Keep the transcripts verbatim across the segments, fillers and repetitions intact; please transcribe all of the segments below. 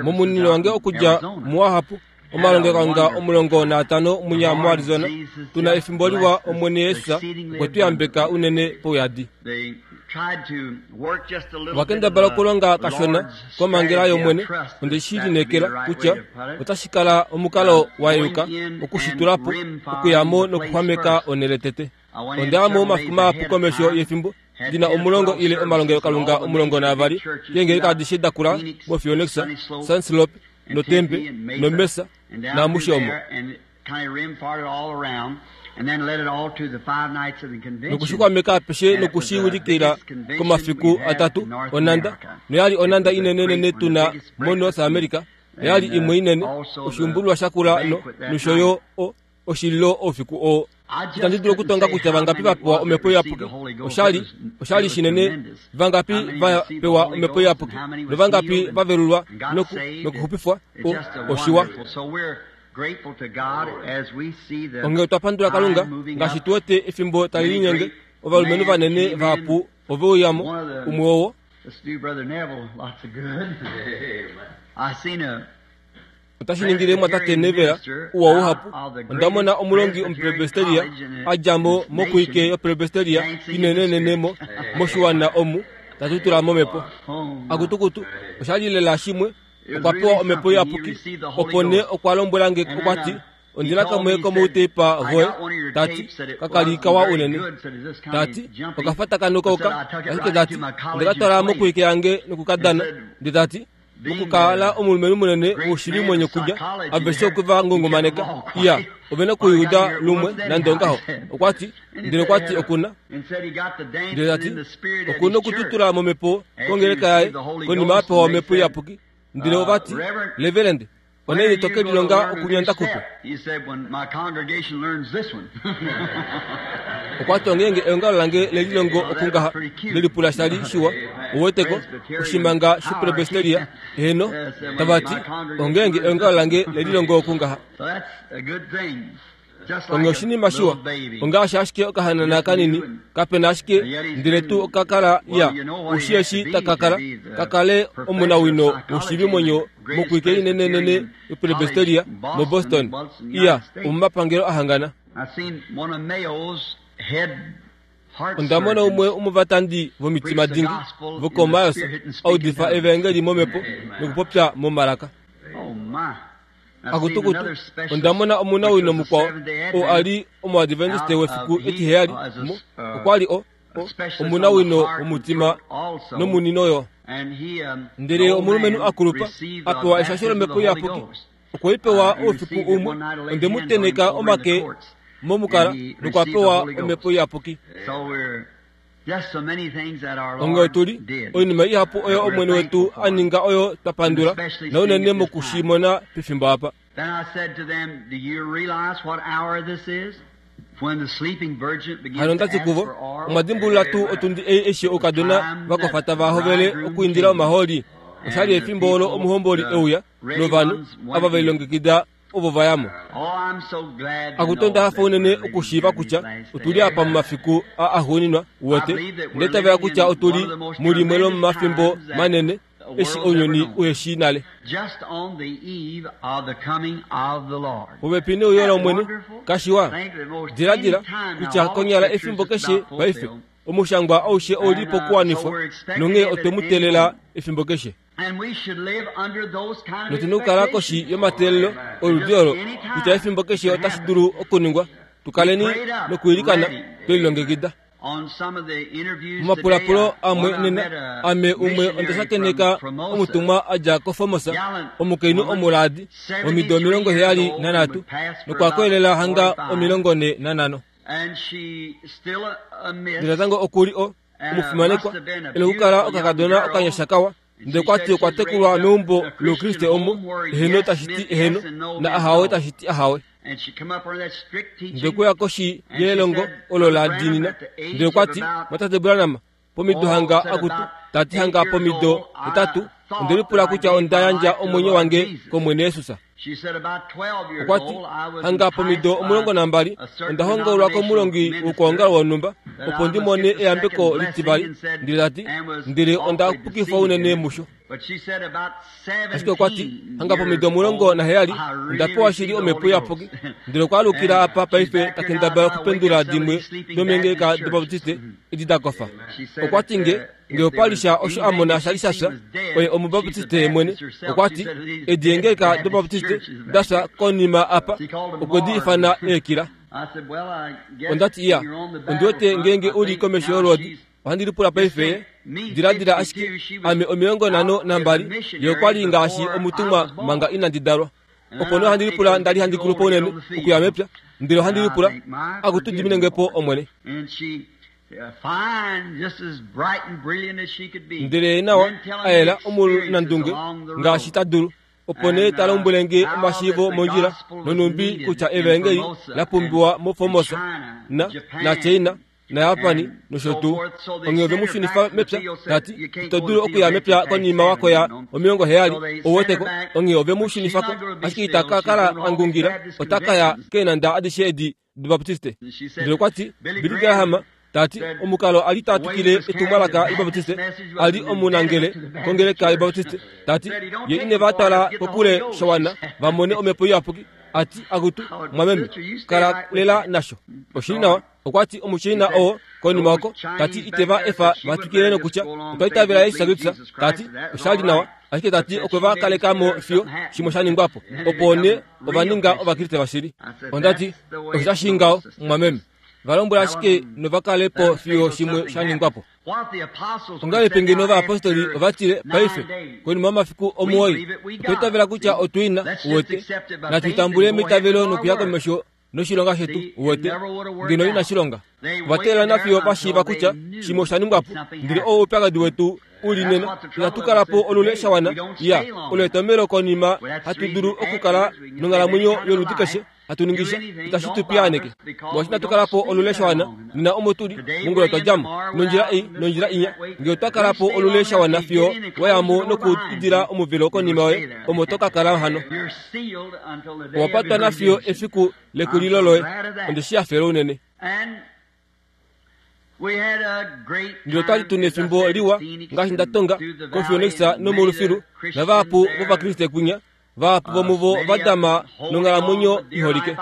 Momunino wange okudja muahapu omalongekalunga omulongo naatano munya muArizona tuna efimbo liwa Omwene Yesus okwe tu yambeka unene pouyadi. Ovakendabala okulonga kashona komangela yOmwene onde shi lineekela kutya otashi kala omukalo wa yeuka okushitulapo okuyamo nokuxwameka onhele tete. Onda ya mo omafiku mahapu komesho yefimbo ndina omulongo ile omalongelokalunga omulongo naavali keengeleka adishe dakula moPhoenix, Sunslope, noTempe, noMesa naamushe omo. Nokushikwameka apeshe nokushiulikila komafiku atatu onanda noyali onanda inenenene tuna moNorth America oyali imwe inene oshuumbululwa shakula no nosho yo oshililo oufiku oo. Itandi dulu okutonga kutya vangapi va pewa omhepo iyapuki. Oshali oshali shinene vangapi va pewa omhepo iyapuki novangapi va velulwa noku nokuxupifwa oshiwa. Onghee otwa pandula Kalunga ngaashi tu wete efimbo tali linyenge ovalumenhu vanene vahapu ove uyamo umwe wowo. Otashi ningile mwatate Neville uwa uhapu. Onda mona omulongi omupresbyteria a dja mo mokuike yopresbyteria inenenene mo moshiwana omu tatutula momhepo. Akutukutu oshali lela shimwe okwa pewa omhepo iyapuki opo nee okwa lombwela nge okwa ti ondina kamwe komouteipa voye tati kakali kawa unene tati okafa takanuka ashike tati ondeka twala mokuike yange nokukadana nde tati mokukala omulumenhu munene woshili mwenyo kulya aveshe okwe va ngongomaneka iya ove na kuyuda lumwe nande ongaho okwa ti ndele okwa ti okuna ndele tati okuna okututula momhepo kongeleka yaye konima apewa omhepo iyapuki ndele ovati Reverend oneni toke lilonga okunyanda kupe okwa ti ongeenge eongalo lange lelilongo okungaha lelipula shali shiwa uweteko oshimanga shopresbyteria eheno tavati ongeenge eongalo lange lelilongo okungaha onge oshinima shiwa ongaashi ashike okahanana kanini kapena ashike ndele tuu okakala ya ushi eshi takakala kakale omunawino woshivi mwenyo mokuike inenenene yopresbyteria moBoston iya omomapangelo ahangana. Onda mona umwe omovatandi vomitima dingi vokoMayos audifa evangeli momhepo nokupopya momalaka. Akutukutu onda mona omunawino mukwao oo ali omuadventiste wefiku etiheyali okwa li o omunawino womutima nomunino yo ndele omulumenhu akulupa apewa eshasho lomhepo iyapuki okwe i pewa oufiku umwe onde mu teneka omake momukala nokwa pewa omhepo iyapuki. Onge otuli oinima ihapu oyo Omwene wetu a ninga oyo twa pandula naunene mokushimona pefimbo apa. Hano ondati kuvo omwa dimbulula tuu otundi ei eshi oukadona vakofa tava hovele okuindila omahooli oshali efimbo olo omuhomboli euya novanhu ava velilongekida ovo vayamo. Akutu onda hafa unene okushiiva kutya otuli apa momafiku a axuuninwa uwete ndele tavela kutya otuli mulimwe lomomafimbo manene eshi ounyuni uheshi nale. Popepi neuyo lOmwene kashiwa diladila kutya konyala efimbo keshe paife omushangwa aushe ouli pokuwanifwa nonghee otwe mu teelela efimbo keshe. Notuna okukala koshi yomateelelo oludi olo kutya efimbo keshe otashi dulu okuningwa tukaleni nokwiilikana twelilongekida. Momapulapulo amwe nena ame umwe onda shakeneka omutumwa a dja koFormosa omukainhu omulaadi womido omilongo heyali nanhatu nokwa koyelela hanga omilongo nhe nanhano. Ndele natango okuli o omufimanekwa ena okukala okakadona okanyasha kawa ndele okwa ti okwa tekulwa meumbo loukriste omo eheno tashi ti eheno na ahawe tashi ti ahawe. Ndele okweya koshi yelongo olo la diinina ndele okwa ti mwatate Branham pomido hanga akutu Tati hanga pomido hetatu ondelipula kutya onda yandja omwenyo wange kOmwene Yesus. Okwa ti hanga pomido omulongo nambali onda hongaulwa komulongi wokwoongalo wonhumba opo ndi mone eyambeko litivali. Ndele tati ndele onda pukifwa unene musho. Ashike okwa ti hanga pomido omulongo naheyali onda pewa shili omhepo iyapuki. Ndele okwa alukila apa paife ta kendabala okupendula dimwe domeengeleka dObaptiste edi da kofa. Okwa ti nge nge opalisha osho a mona sha li sha fya, oye omubaptiste ye mwene. Okwa ti edi eengeleka dObaptiste da fya konima apa okwe di ifana eekila. Onda ti iya, ondi wete ngeenge u li komesho yolwoodi, ohandi lipula paife diladila ashike ame omilongo nhano nambali ye okwa li ngaashi omutumwa manga inandi dalwa. Opo nee ohandi lipula nda li handi kulupa unene okuya mepya, ndele ohandi lipula akutu diminenge po Omwene. Ndele nawa a yela omunandunge ngaashi ta dulu. Opo nee ta lombwele nge omashiivo mondjila nonhumbi kutya evangeli la pumbiwa moFormosa na naChina naJapani nosho tuu. Onghee ove mu shunifa mepya, tati ito dulu okuya mepya konima wakoya omilongo heyali ouweteko. Onghee ove mu shunifako, ashike ita ka kala a ngungila, ota ka ya keenanda adishe edi dObaptiste. Ndele okwa ti Billy Graham tati omukalo a li ta twikile etumwalaka lObaptiste a li omunangele kongeleka yObaptiste. Tati ye ine va tala kokule shawana va mone omhepo iyapuki. Ati akutu mwameme kala lela nasho. Oshili nawa. Okwa ti omuChina oo konima oko tati ite va efa va twikile nokutya otwa itavela Jesus Kristus. Tati oshali nawa, ashike tati okwe va kaleka mo fiyo shimwe sha ningwa po, opo nee ova ninga Ovakriste vashili. Onda ti osho tashi ngaho mwameme, va lombwela ashike nova kale po fiyo shimwe sha ningwa po. Ongahelipi ngeno ovayapostoli ova tile paife konima yomafiku omuwoi otwa itavela kutya otu ina uwete, natu tambule meitavelo nokuya komesho noshilonga shetu uwete, ngeno inashi longa. Ova teelela nafiyo va shiiva kutya shimwe osha ningwa po, ndele oo oupyakadi wetu u li nena. Inatu kala po olule shawana ya olo etomhelo konima hatu dulu okukala nonghalamwenyo yoludi keshe hatu ningisha itashi tu piyaaneke. Molwaashi inatu kala po olule shawana nena omo tuli mongula twa dja mo nondjila ei nondjila inya. Ngee otwa kala po olule shawana fiyo wa ya mo nokuidila omuvelo konima yoye, omo to ka kala hano. Owa patwa nafiyo efiku lekulilo loye. Onde shi hafela unene. Ndele otwa li tuna efimbo liwa ngaashi nda tonga koPhoenix nomolufilu navahapu vOvakriste kwinya, vahapu vomuvo va dama nonghalamwenyo iholike.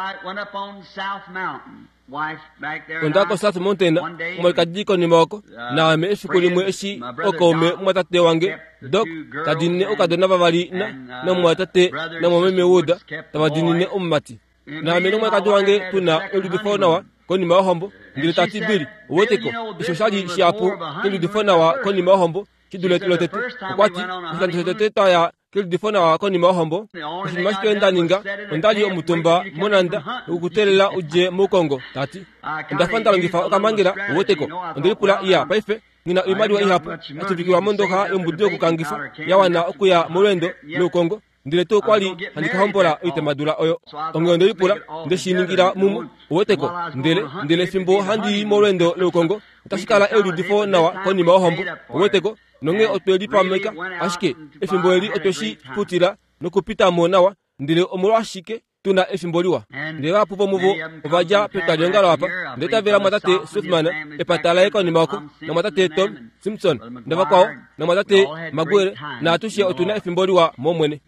Onda ko South Mountain omwalikadi konima oko, naame efiku limwe eshi okaume mumwatate wange Doc ta dinine oukadona vavali na namumwatate namwameme Wood tava dinine omumati. Naame nomwalikadi wange tuna eludifo nawa konima yohombo. Ndele tati Billy, uweteko osho sha li shihapu keludifo nawa konima yohombo shi dule lotete. Okwa ti oshikando shotete twaya keludifo nawa konima yohombo, oshinima ashike nda ninga onda li omutumba monanda nokukuteelela udje moukongo. Tati onda fa nda longifa okamangela uweteko. Onde lipula iya paife ngina oimaliwa ihapu ya tuvikilwa mondoxa yombudu yokukangifa ya wana okuya molweendo loukongo. Ndele tuu kwa li handi ka hombola oitemadula oyo. Onghee onde lipula nde shi ningila mumwe uweteko. Ndele ndele fimbo handi i molweendo loukongo otashi kala eludifo nawa konima yohombo uweteko. Nonghee otwe lipameka ashike efimbo eli otwe shi futila nokupita mo nawa. Ndele omolwashike tuna efimbo liwa. Ndele vahapu vomuvo ova dja petwaliongalo apa. Ndele tavela mwatate Swiftman epata laye konima oko, namwatate Tom Simpson navakwao, namwatate Maguire, naatushe otuna efimbo liwa mOmwene.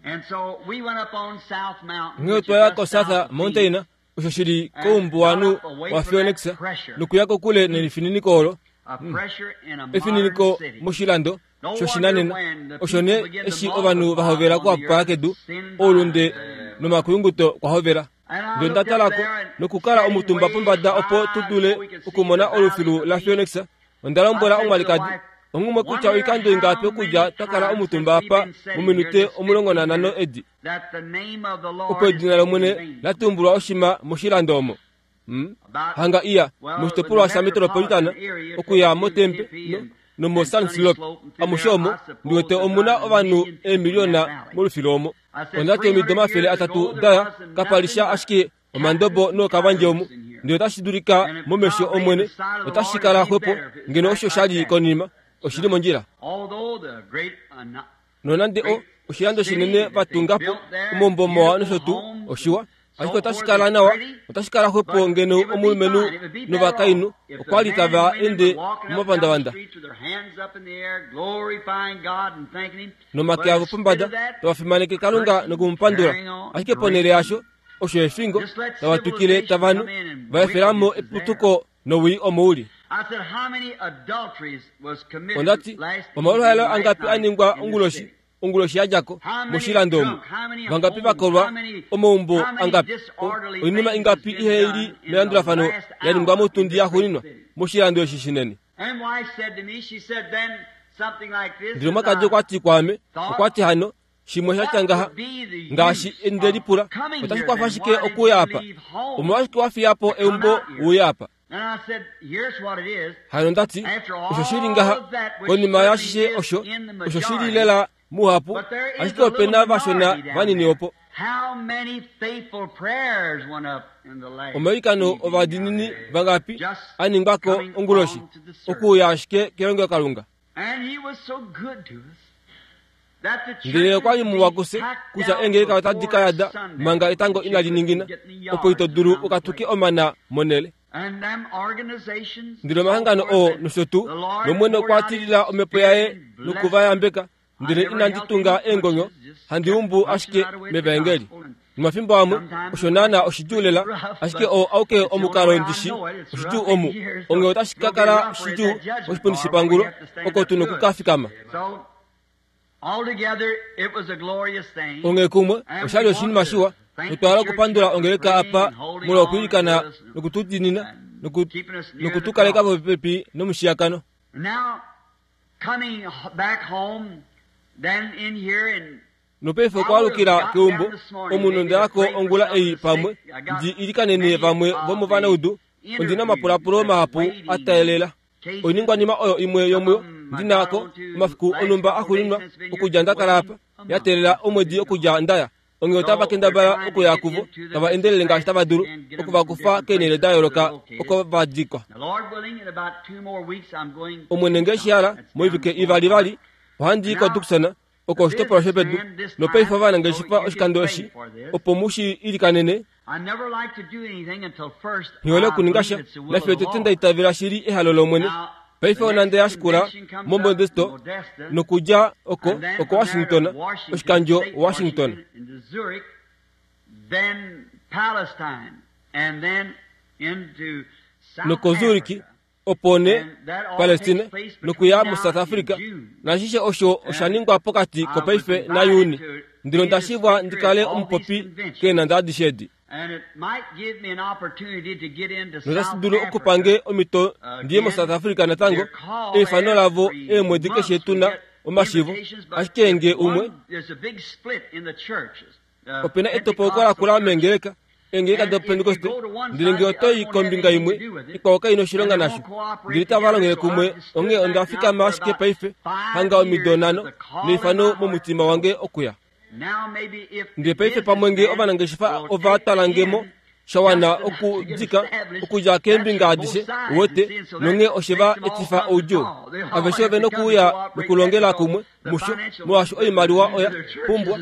Onghee otwa ya koSouth Mountain osho shi li koumbuwanhu waPhoenix nokuya kokule nelifininiko olo, efininiko moshilando shoshinanena. Osho nee eshi ovanhu va hovela okuhapupala kedu, oulunde nomakuyunguto kwa hovela. Ndele onda talako nokukala omutumba pombada opo tu dule okumona olufilu laPhoenix. Onda lombwela omwalikadi onghumwe kutya oikando ingapi okudja twa kala omutumba apa mominute omulongo nanhano edi, opo edina lOmwene la tumbulwa oshima moshilando omo. Hmm? Hanga iya moshitopolwa shaMetropolitan okuya moTempe no, nomoSun Slope amushe omo ndiwete omuna ovanhu eemiliona molufilu omo. Onda ti omido omafele atatu daya kapalisha ashike omandobo nookavandje omu. Ndele otashi dulika momesho Omwene otashi kala xwepo ngeno osho sha li konima. Oshili mondjila. Nonande o oshilando shinene vatungapo omaumbo mawa nosho tuu oshiwa, ashike otashi kala nawa, otashi kala xwepo ngeno omulumenhu novakainhu okwa li tava ende momapandavanda nomake avo pombada tava fimaneke Kalunga nokumupandula. Ashike ponhele yasho osho efingo tava twikile tavanu va efelamo eputuko nowii omouli. Ondati omaluhaelo angapi a ningwa onguloshi onguloshi yadjako moshilando omu, vangapi vakolwa omaumbo angapi, oinima ingapi ihe ili melandulafano ya ningwa motundi yaxuuninwa moshilando eshi shinene. Ndele omwakadi okwati kwaame, okwati hano shimwe sha ngaha ngaashi ndelipula otashi kwafa shike okuya apa, omolwashike wafiya po eumbo uye apa. Hano ndati osho shili ngaha konima yashishe osho osho shili lela muhapu, ashike opena vashona vanini opo. Omailikano ovadiinini vangapi a ningwako onguloshi okuuya ashike kelongelokalunga. Ndele okwa li muwa kufye kutya eengeleka otadi ka yada manga etango inali ningina, opo ito dulu ukatuke omana monele. Ndele omahangano oo nosho tuu, nOmwene okwa tilila omhepo yaye nokuvayambeka. Ndele inandi tunga eengonyo, handi umbu ashike mevaengeli. Nomafimbo amwe osho naana oshidjuu lela, ashike oo auke omukalo ndishi oshidjuu omu. Onge otashi ka kala shidjuu moshipundi shepangulo oko tu nokukafikama. Onge kumwe oshali oshinima shiwa, notwa hala okupandula ongeleka apa molwa okwiilikana nokutudinina nokutukaleka popepi nomushiyakano. Nopaife okwaalukila keumbo omunhu ndayako ongula ei pamwe ndi ilikanene vamwe vomovanaudu. Ondina omapulapulo mahapu a teelela. Oiningwanima oyo imwe yomuyo ndinako omafiku onhumba axuuninwa okudja ndakala apa ya teelela omwedi okudja ndaya. Onge otava kendabala okuya kuvo tava endelele ngaashi tava dulu okuvakufa keenhele da yooloka oko va dikwa. Omwene nge shihala moivike ivali vali ohandi i koTucson oko oshitopolwa shopedu. Nopaife ovanangeshefa oshikando eshi opo mu shi ilikanene. Nghihole okuninga sha nafiyo tete nda itavela shili ehalo lOmwene. Paife onande yashikula moModesto nokudja oko oko Washington, oshikandjo Washington. Noko Zurich opo ne Palestine nokuya muSouth Africa. Nashishe osho osha ningwa pokati kopaife naJuni. Ndilo ndashivwa ndikale omupopi keenanda adishe edi. Notashi dulu okupange omhito ndiye moSouth Africa natango. Eifano lavo eemwedi keshe tuna omashivo, ashike nge umwe opena etopoko lakula meengeleka eengeleka doPentecoste, ndele nge otoi kombinga imwe ikwao kaina oshilonga nasho. Ndele tava longele kumwe, onghee onda fikama ashike paife hanga omido nhano neifano momutima wange okuya. Ndele paife pamwe nge ovanangeshefa ova tala mo shawana okudika okudja keembinga adishe uwete, nonghee oshe va etifa oudjuu. Aveshe ove nokuuya nokulongela kumwe musho, molwaashi oimaliwa oya pumbwa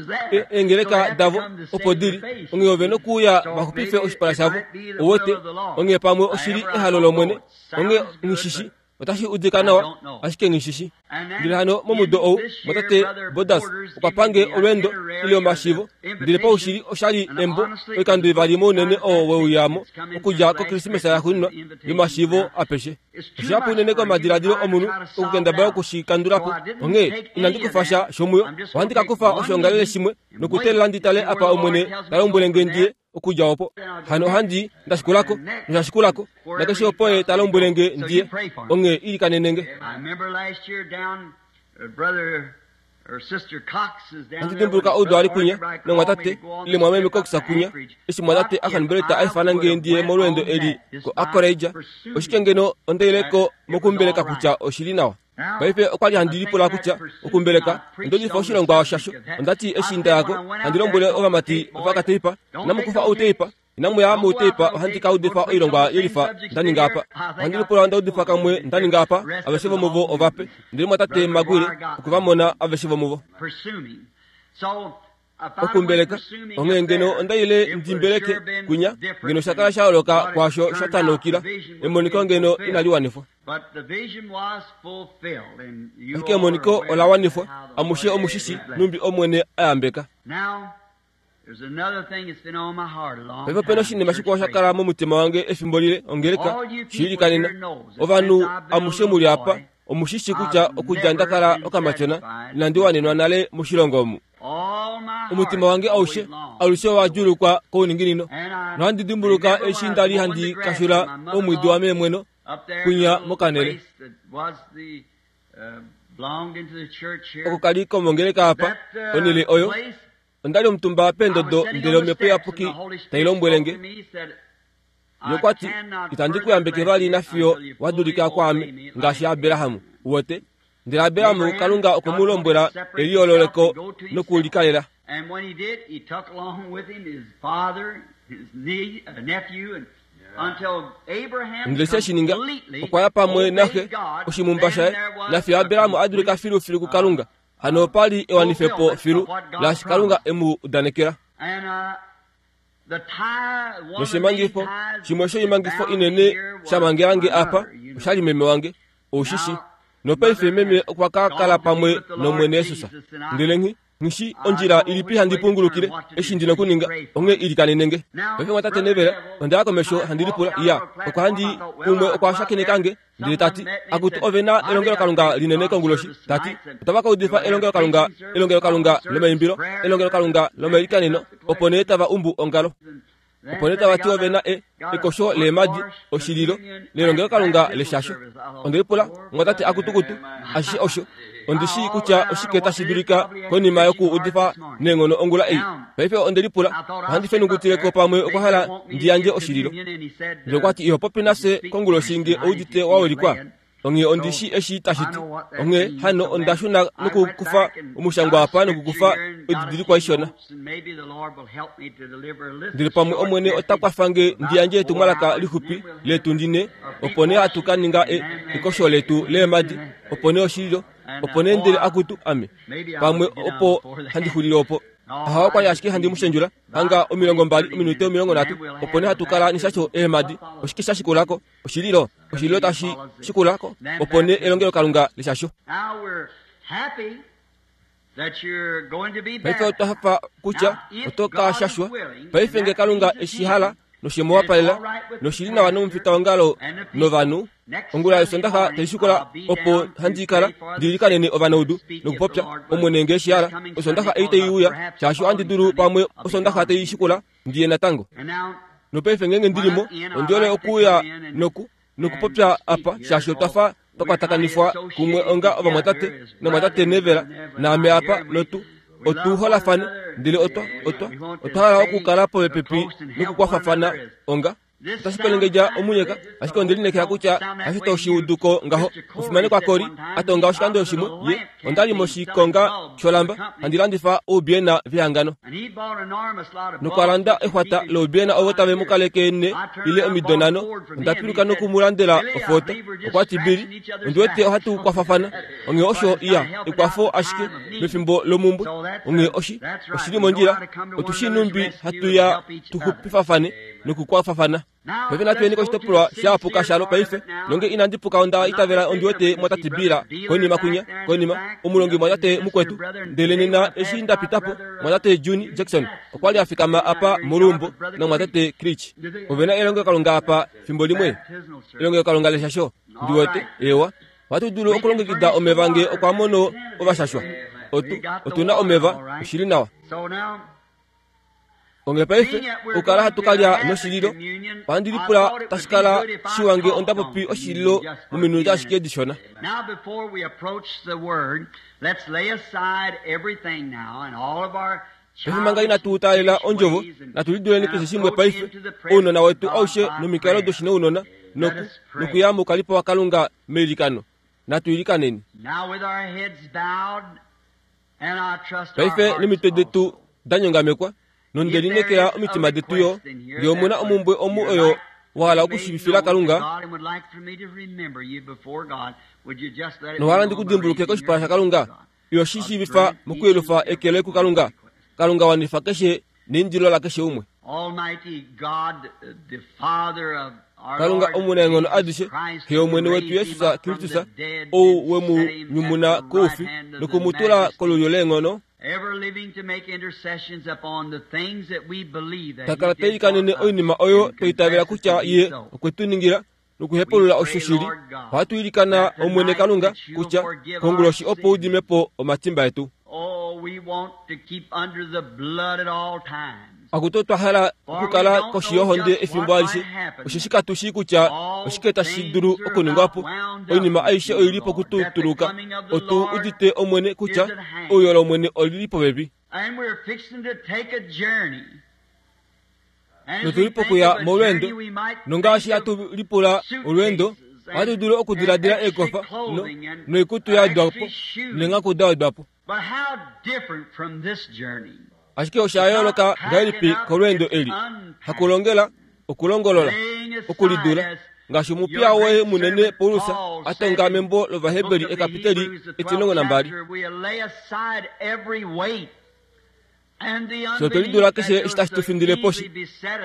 eengeleka davo opo dili. Onghee ove nokuuya vaxupife oshipala shavo uwete. Onghee pamwe oshili ehalo lOmwene. Onghee nghishishi otashi udika nawa, ashike nghishishi. Ndele hano momudo ou motate Bodas okwa pange olweendo ile omashivo, ndele paushili oshali embo oikando ivali mounene oo weuyamo okudja koKrismesa yaxuuninwa yomashivo apeshe. Oshihapu unene komadiladilo omunhu okukendabala okushikandulapo. Onghee inandi kufa sha shomuyo, ohandi ka kufa oshiongalele shimwe nokuteelela ndi tale apa Omwene ta lombwele nge ndiye okudja opo. Hano ohandi ndashikulako noshashikulako nakeshe opo ye ta lombwele nge ndiye. Onghee ilikanene nge. Handi dimbuluka oudu ali kunya nomwatate ile mwameme Cox kunya eshi mwatate ahanbeleta aifana nge ndiye molweendo eli ko Anchorage. Oshike ngeno ondeileko mokumbeleka kutya oshili nawa. Paife okwali handi lipula kutya okumbeleka ondolifa oshilongwa shasho. Ondati eshi ndayako handi lombwele ovamati vakateipa namukufa outeipa Inamu ya mouteipa ohandi ka udifa oilongwa yelifa nda ninga apa. Ohandi lipula onda udifa kamwe nda ninga apa aveshe vomuvo ovape. Ndele mwatate Maguire okwe va mona aveshe vomuvo. Okumbeleka onghee ngeno onda ile ndimbeleke kunya ngeno sha kala sha yooloka kwaasho sha tanaukila emoniko ngeno inali wanifwa. Ashike emoniko ola wanifwa amushe omushishi numbi Omwene a yambeka. Paife opena oshinima shikwao sha kala momutima wange efimbo lile ongeleka shiilikanena. Ovanhu amushe muli apa omushishi kutya okudja nda kala okamatyona inandi wanenwa nale moshilongo omu. Omutima wange aushe alushe wa djuulukwa kouninginino nohandi dimbuluka eshi ndali handi kashula omwiidi wameemweno kunya mokanele. Oko kali komongeleka apa onhele oyo ondali omutumba peendodo ndele omhepo iyapuki tai lombwele nge. Yokwati itandi ku yambeke vali nafiyo wa dulika kwaame ngaashi Abraham uwete. Ndele Abraham Kalunga okwe mu lombwela eliyoololeko nokulikalela. Ndele she shi ninga okwa ya pamwe naxe oshimumba shaye nafiyo Abraham a dulika filufilu kuKalunga. Hano opa li ewanifepo filu laashi Kalunga e mu udanekela. Noshimangifo shimwe shoimangifo inene sha mangelange apa oshali meme wange oushishi. Nopaife meme okwa ka kala pamwe nOmwene Jesus. Ndele nghi nghishi ondjila ilipi handi pungulukile eshi ndina okuninga onghee ilikanenenge. Paife mwatate Nevela onda ya komesho handi lipula iya okwa handi umwe okwa shakenekange ndele tati akutu ove na elongelokalunga linene konguloshi. Tati otava ka udifa elongelokalunga elongelokalunga lomaimbilo elongelokalunga lomailikaneno opo nee tava umbu ongalo. Opo nee tava ti ove na e ekosho leemadi oshililo nelongelokalunga leshasho. Onde lipula mwatate akutukutu ashishe osho ondishi kutya oshike tashi dulika konima yoku udifa neenghono ongula ei. Paife onde lipula ohandi fenungutileko pamwe okwa hala ndi yandje oshililo. Ndele okwa ti iho popi nafye konguloshi nge oudite wa welikwa. Onghee ondishi eshi tashi ti. Onghee hano onda shuna nokukufa omushangwa apa nokukufa oididilikwa ishona. Ndele pamwe Omwene ota kwafa nge ndi yandje etumwalaka lixupi letu ndine opo nee hatu ka ninga ekosho letu leemadi opo nee oshililo opo nee ndele akutu ame pamwe opo handi xulile opo. Aha okwali ashike handi mushendjula hanga omilongo mbali ominute omilongo nhatu opo nee hatu kala nishasho eemadi oshike sha shikulako oshililo oshililo tashi shikulako opo nee elongelokalunga leshasho. Paife otwa hafa kutya oto ka shashwa. Paife nge Kalunga eshi hala noshemu wapalela noshili nawa nomufitaongalo novanhu ongula yosondaxa taishikola opo handi kala ndilikanene ovanaudu nokupopya Omwene nge eshi hala. Osondaxa ei taiuya shaashi ohandi dulu pamwe osondaxa taishikola ndiye natango. Nopaife ngenge ndilimo ondiole okuuya noku nokupopya apa shaashi otwa fa twakwatakanifwa kumwe onga ovamwatate namwatate Nevela naame apa notu otuholafane ndele otwa otwa otwa hala okukala popepi nokukwafafana onga otashi kwelengedja omunyeka. Ashike onde linekela kutya hasho toshiuduko ngaho. Omufimanekwa Kori atonga oshikando shimwe ye ondali moshikonga sholamba handi landifa oubiena vehangano nokwalanda exwata loubiena ovo tave mu kaleke ne ile omido nhano. Onda piluka nokumulandela ofoto. Okwa ti Bili ondi wete ohatu kwafafana. Onghee osho iya ekwafo ashike mefimbo lomumbwe. Onghee oshi oshili mondjila otushi numbi hatu ya tuxupifafane nokukwafafana. Paife natuyeni koshitopolwa shapuka shalo paife nonge inandi puka onda itavela ondi wete mwatate Bila konima kunya konima omulongi mwatate mukwetu. Ndele nena eshi ndapitapo mwatate Juni Jackson okwali afikama apa molumbo namwatate Creech. Ovena elongelokalunga apa fimbo limwe elongelokalunga leshasho ndi wete ewa ohatu dulu okulongekida omeva nge okwa mono ovashashwa. Otu otuna omeva oshili nawa. Onge paife okukala hatu kalya noshililo ohandi lipula tashi kala shiwa nge onda popi oshililo mominute ashike dishona. Paife manga inatu taalela ondjovo natu liduleni keshe shimwe paife ounona wetu aushe nomikalo doshinounona noku nokuya mukalipo waKalunga meilikano. Natu ilikaneni paife nomitwe detu danyongamekwa. Nonde lineekela omitima detu yo ngee omuna omumbwe omu oyo wa hala okushivifila Kalunga nowa hala ndikudimbuluke koshipala shaKalunga, iyo shi shiivifa mokuyelufa eke loye kuKalunga. Kalunga wanifa keshe neindilo lakeshe umwe. Kalunga omunaenghono adishe, Xe yOmwene wetu Jesus Kristus, ou we mu nyumuna koufi nokumutula kolulyo leenghono, ta kala ta ilikanene oinima oyo twa itavela kutya ye okwe tu ningila nokuhepulula osho shili. Ohatu ilikana Omwene Kalunga kutya konguloshi opo udime po omatimba etu. Akutu twa hala okukala koshi yohonde efimbo alishe, osheshi katu shii kutya oshike tashi dulu okuningwa po. Oinima aishe oili pokututuluka. Otu udite Omwene kutya ouyo lOmwene olili popepi. Notuli pokuya molweendo, nongaashi hatu lipula olweendo, ohatu dulu okudiladila eekofa no, noikutu ya wedwa po neenghaku da wedwa po. Ashike osha yooloka ngahelipi kolweendo eli, hakulongela, okulongolola, okulidula, ngaashi omupiya woye munene Paulus a tonga membo lOvaheberi ekapiteli etilongo nambali. Fye otwe lidula keshe eshi tashi tu findile poshi,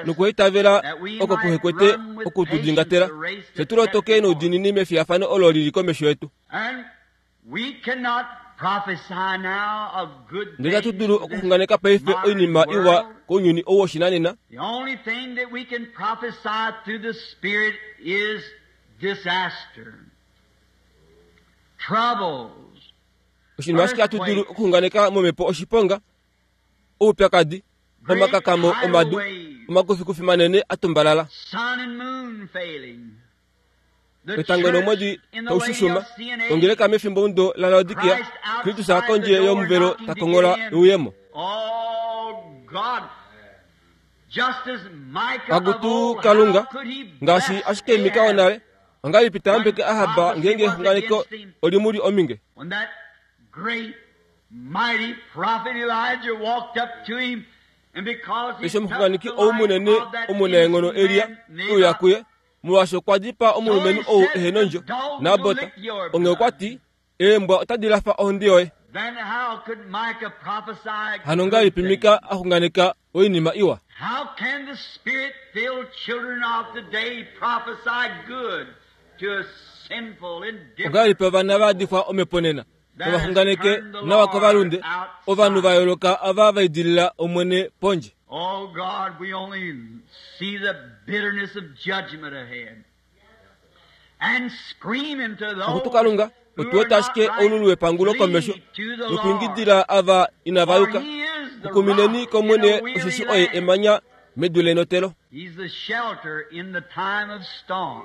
nokuitavela oko kuhekwete oku tu dingatela, fye tu lotoke noudiinini mefiyafano olo lili komesho yetu. Ndele itatu dulu okuxunganeka paife oinima iwa kounyuni ou woshinanena. Oshinima ashike hatu dulu okuxunganeka momhepo oshiponga, oupyakadi, omakakamo omadu, omakufikufi manene a tumbalala, etango nomwedi taushushuma, ongeleka mefimbomudo laLaodikia, Kristus kondje yomuvelo ta kongola euyemo. Akutu Kalunga, ngaashi ashike Mika wonale, ongahelipi ta yambeke Ahab ngeenge exunganeko olimuli ominge? Eshi omuxunganeki ou munene omunaenghono Elia e uya kuye, molwaashi okwa dipaa omulumenhu ou ehe nondjo, Nabot, onghee okwa ti, eembwa otadi lafa ohonde yoye. Hano ngahelipi Mika a xunganeka oinima iwa? Ongahelipi ovana va yadifwa omhepo nena novaxunganeke nawa kovalunde, ovanhu va yooloka ava va idilila Omwene pondje? Oh God, we only see the bitterness of judgment ahead. And screaming to Akutu those Kalunga, who otu are wete not ashike right, oululu wepangulo komesho, flee to the Lord. nokuingidila ava inava For yuka. he is the Kukumineni rock in kOmwene a weary osheshi oye land. emanya medu lenotelo. He's the shelter in the time of storm.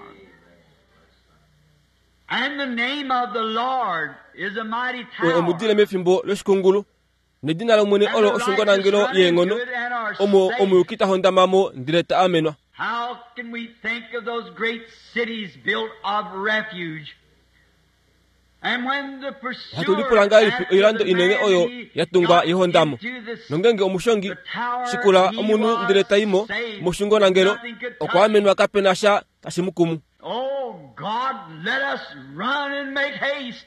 And the name of the Lord is a mighty Oye omudile tower. mefimbo loshikungulu, nedina lOmwene And olo the righteous oshungonangelo run into yeenghono, it and are omo safe. omuyuki ta hondamamo ndele ta amenwa. How can we think of those great cities built of refuge? And when the Ohatu pursuer lipula ngahelipi after oilando the inene man oyo he ya tungwa got yehondamo. into the, Nongenge omushongi the tower, shikula he omunhu ndele was ta i mo safe. moshungonangelo, Nothing could okwa touch him. amenwa kape na sha tashi mu kumu. Oh God, let us run and make haste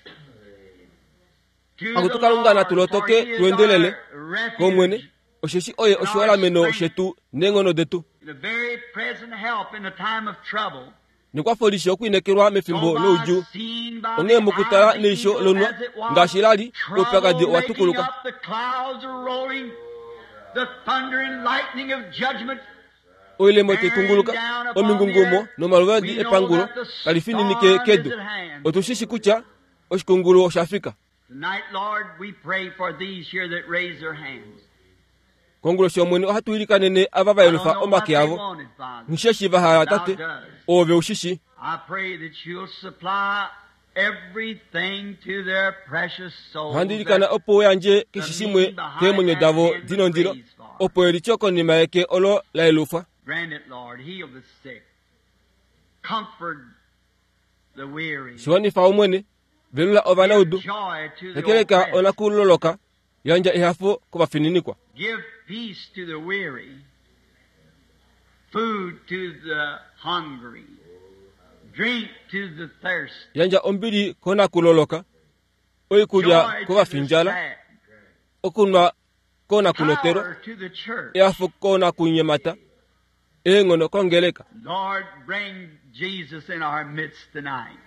to Akutu the Kalunga Lord, natu for lotoke he is tu endelele our kOmwene, refuge, osheshi oye and our oshiholameno strength, shetu neenghono detu. the very present help in the time of trouble. Nekwafo lishi okuinekelwa So mefimbo by loudjuu. seeing by Onghee the mokutala eye of the neisho eagle lonwa, as it was, ngaashi la li, oupyakadi trouble owa making tukuluka. up, the clouds are rolling, the thunder and lightning of judgment Oilemo tai bearing kunguluka, down upon the omingungumo earth. nomaluvadi We know epangulo that the tali fininike storm is kedu. at hand. Otu shi shi kutya oshikungulu osha fika. Tonight, Lord, we pray for these here that raise their hands. Konguloshi Omwene ohatu ilikanene ava va I don't yelufa know what omake they avo. wanted, Father. Nisheshi va hala Thou Tate, does. oove ushishi. I pray that you'll supply everything to their precious souls Ohandi ilikana that opo u yandje the keshe meaning shimwe behind keemwenyo that davo hand di was nondilo, raised for. opo elityo konima yeke olo la yelufwa. Grant it, Lord. Heal the sick. Comfort the weary. Shiwanifa Omwene, velula Give ovanaudu, joy to the hekeleka oppressed. onakuloloka, Yandja ehafo kovafininikwa. Give peace to the weary, food to the hungry, drink to the thirsty. Yandja ombili konakuloloka, oikulya kovafindjala, okunwa konakunotelwa, ehafo konakunyemata, eenghono kongeleka. Lord, bring Jesus in our midst tonight.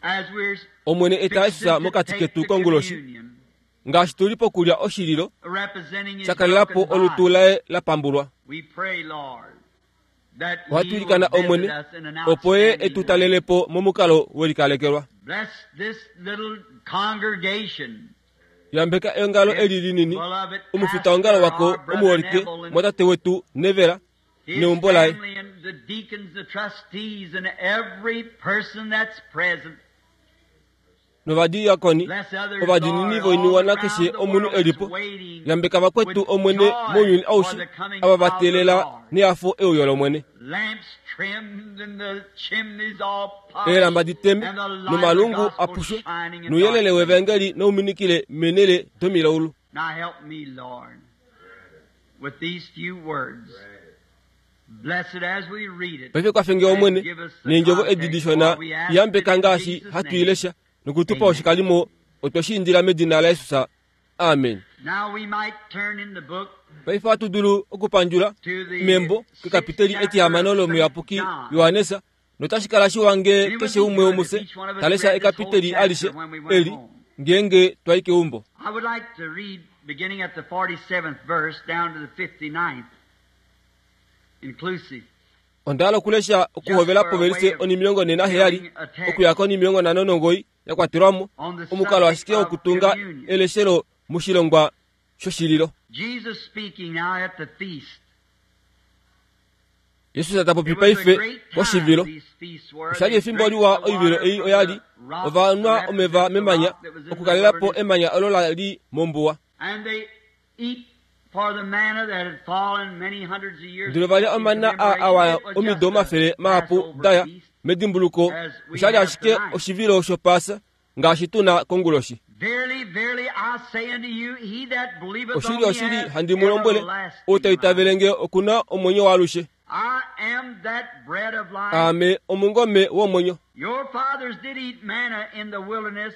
As we're Omwene eta Jesus mokati ketu konguloshi, ngaashi tuli pokulya oshililo shakalelapo olutu laye la pambulwa. Ohatu ilikana Omwene opo ye etu talelepo momukalo welikalekelwa. Yambeka eongalo eli linini, omufitaongalo wako omuholike mwatate wetu Nevela neumbo laye, novadiakoni ovadinini voiniwana keshe omunhu elipo. Yambeka vakwetu Omwene mounyuni aushe ava va teelela nehafo euyo lOmwene. Eelamba diteme nomalungu apushwe nouyelele wevangeli nouminikile menele domilaulu. Paife kwafenge Omwene neendjovo edi dishona yambeka ngaashi hatu ilesha nokutupa oshikalimo otwe indila medina laJesus. Amen. Paife ohatu dulu okupandjula membo kekapiteli etihamano lomuyapuki Johannes, notashi kala shiwa ngee keshe umwe womufye talesha ekapiteli alishe eli ngeenge twai keumbo. I would like to read beginning at the forty-seventh verse down to the fifty-ninth inclusive. Onda okulesha okuhovela povelise onimilongo nena heyali okuya konimilongo nhano nongoi ya kwatelwamo omukalo ashike wokutunga eleshelo moshilongwa shoshililo. Jesus speaking now at the feast. Jesus ta popi paife koshivilo. Oshali efimbo liwa oivilo ei oyali ovanwa omeva memanya okukalelapo emanya olo la li mombuwa. Ndele valya omana a awa omido omafele mahapu daya medimbuluko. Oshali ashike oshivilo shopasa ngaashi tuna konguloshi. Oshili oshili handi mu lombwele, ou ta itavele nge okuna omwenyo waalushe. Aame omungome womwenyo.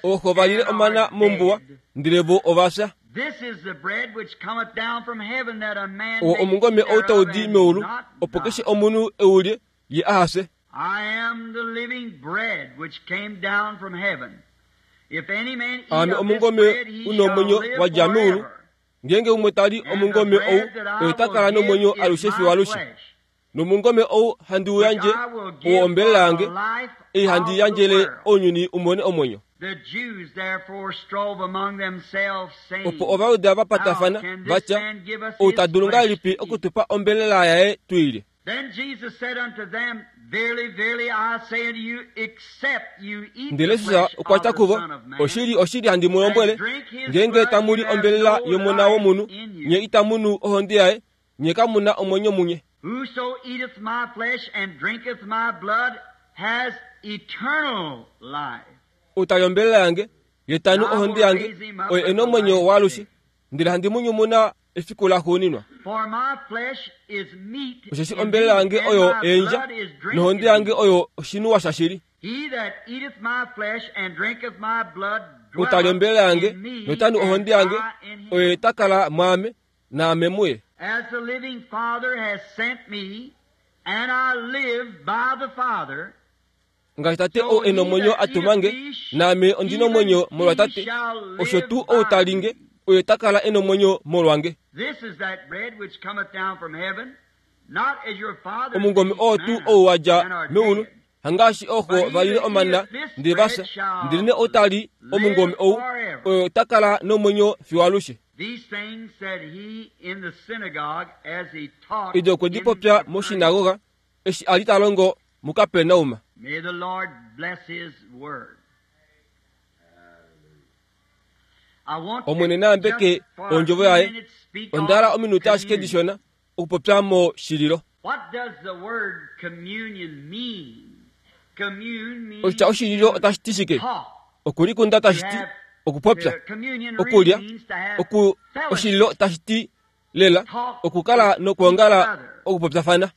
Ooxo valile omana mombuwa, ndele vo ovafya. Owo omungome ou tau di meulu, opo keshe omunhu eulye ye ahafye. Aame omungome una omwenyo wadja meulu, ngeenge umwe tali omungome ou, oye ta kala nomwenyo alushe fiyo alushe. Nomungome ou handi u yandje owo ombelela yange, ei handi yandjele ounyuni umone omwenyo. Opo Ovayuda va patafana vatya, ou ta dulu ngahelipi okutupa ombelela yaye tu ilye? Ndele Jesus okwa tya kuvo, oshili oshili handi mu lombwele, ngeenge tamu li ombelela yomona womunhu, nye itamu nu ohonde yaye, nye kamu na omwenyo munye. Whoso eateth my flesh and drinketh my blood has eternal life. Ou tali ombelela yange, ye tanu ohonde yange, oye ena omwenyo waalushe, ndele handi mu nyumuna efiku laxuuninwa. Osheshi ombelela yange oyo eendja, nohonde yange oyo oshinuwa shashili. Ou tali ombelela yange, notanu ohonde yange, oye ta kala mwaame, naame muye. As the living Father has sent me, and I live by the Father, ngaashi tate ou ena omwenyo a tuma nge, naame ondina omwenyo molwa tate, osho tuu ou tali nge, oye ta kala ena omwenyo molwange. Omungome oo tuu ou wadja meulu, hangaashi ooxo valile omana ndele vafya, ndelenee ou tali omungome ou, oye ta kala nomwenyo fiyo alushe. Edi okwe di popya moshinagoga eshi a li ta longo muKapernaum. May the Lord bless his word. Omwene nayambeke ondjovo yaye. Onda hala ominute ashike dishona okupopya moshililo. Oshitya oshililo otashi ti shike? Okulikunda tashi ti Okupopya, okulya, oku oshililo tashi ti lela okukala nokuongala okupopyafana.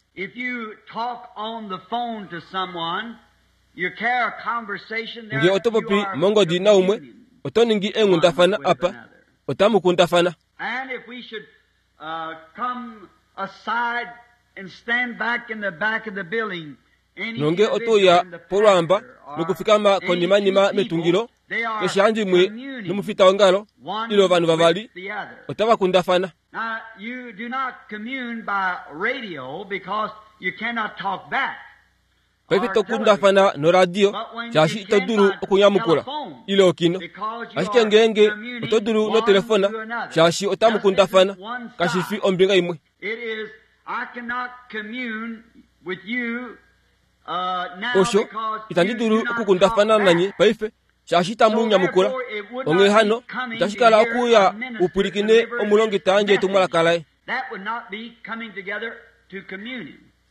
Nge oto popi mongodi naumwe, oto ningi eenghundafana apa, otamu kundafana. Nonge otoya polwamba nokufikama konimanima metungilo, keshe handimwe nomufita wongalo ile ovanhu vavali otava kundafana. Paife tokundafana noradio shaashi ito dulu okunyamukula ile okino, ashike ngeenge oto dulu notelefona shaashi otamu kundafana, kashi fi ombinga imwe. Osho itandi dulu okukundafana nanye paife shaashi itamu nyamukula. Onghee hano itashi kala okuya upwilikine omulongi ta yandje etumwalaka laye.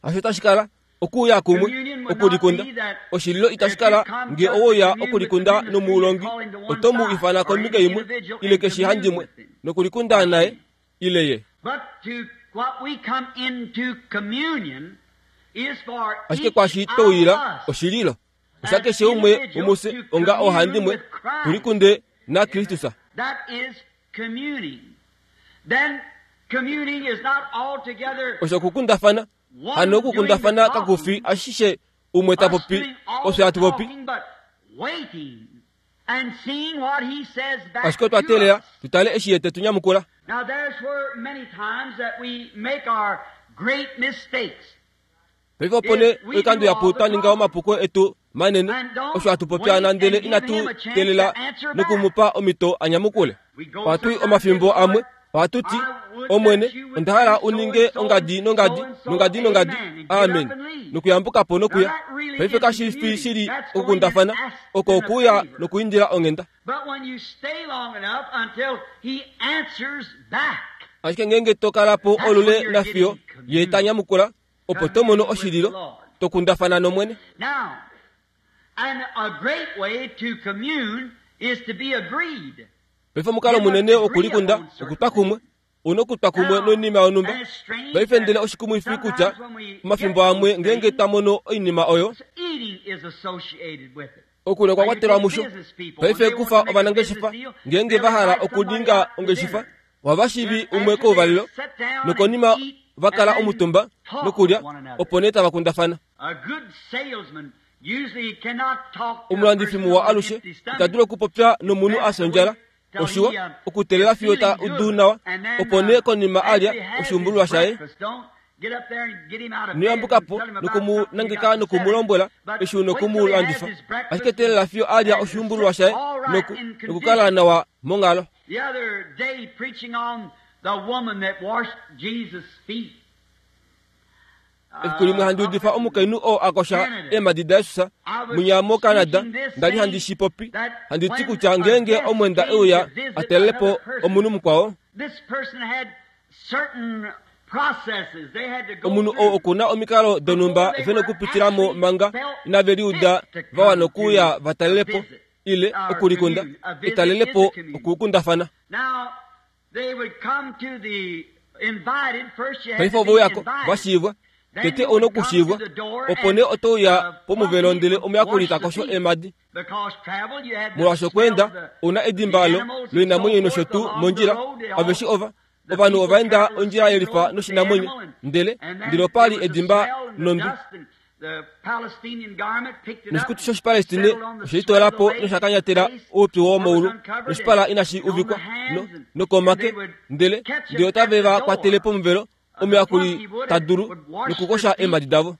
Hasho tashi kala okuya kumwe okulikunda. Oshililo itashi kala nge owoya okulikunda nomulongi oto mu ifana kombinga imwe ile keshe handimwe nokulikunda naye ile ye. Ashike kwashi touyila oshililo osha keshe umwe womufye onga ohandimwe tulikunde na Kristus. Osho okukundafana. Hano okukundafana kakufi ashishe umwe ta popi osho hatu popi. Ashike otwa teelela tutale eshi ye te tu nyamukula. Paife opo nee oikando yapu twa ninga omapuko etu manene osho hatu popya ndele inatu teelela nokumupa omhito a nyamukule. Ohatu i omafimbo amwe ohatu ti, Omwene, onda hala u ninge ongadi nongadi nongadi nongadi, amen, nokuyambuka po nokuya. Paife kashi fi shili okukundafana, oko okuya nokuindila onghenda. Ashike ngeenge to kala po olule nafiyo ye ta nyamukula, opo to mono oshililo, to kundafana nOmwene. Paife omukalo munene wokulikunda okutwa kumwe, una okutwa kumwe noinima yonhumba. Paife ndele oshikumwifi kutya omafimbo amwe ngeenge twa mono oinima oyo, okulya okwa kwatelwa musho. Paife kufa ovanangeshefa ngeenge va hala okuninga ongeshefa, ohava shivi umwe kouvalelo nokonima va kala omutumba nokulya, opo nee tava kundafana. Omulandifi muwa alushe ita dulu okupopya nomunhu a fya ondjala. Oshiwa okuteelela fiyo ta udu nawa, opo nee konima alya oshuumbululwa shaye, noyambuka po nokumu nangeka nokumulombwela eshi una okumulandifa. Ashike teelela fiyo alya oshuumbululwa shaye noku nokukala nawa monghalo. Efiku limwe handi udifa omukainhu oo a kosha eemhadi daJesus munya moCanada, nda li handi shi popi, handi ti kutya ngeenge omwenda euya a talele po omunhu mukwao, omunhu oo oku na omikalo donhumba ve nokupitila mo manga inave liuda va wana okuuya va talele po ile okulikunda, etalele po okukundafana. Paife ove uyako va shiivwa, tete ouna okushiivwa, opo nee oto uya pomuvelo ndele omuyakuli ta kosho eemhadi. Molwaashi okweenda ouna edimba loinamwenyo nosho tuu mondjila, aveshe ova ovanhu ova enda ondjila yelifa noshinamwenyo, ndele ndele opa li edimba nondwi. Noshikutu shOshipalestine oshe po nosha kanyatela oupyu womoulu, noshipala inashi uvikwa no nokomake, ndele ndele otave va kwatele pomuvelo, omuyakuli ta dulu nokukosha eemhadi davo.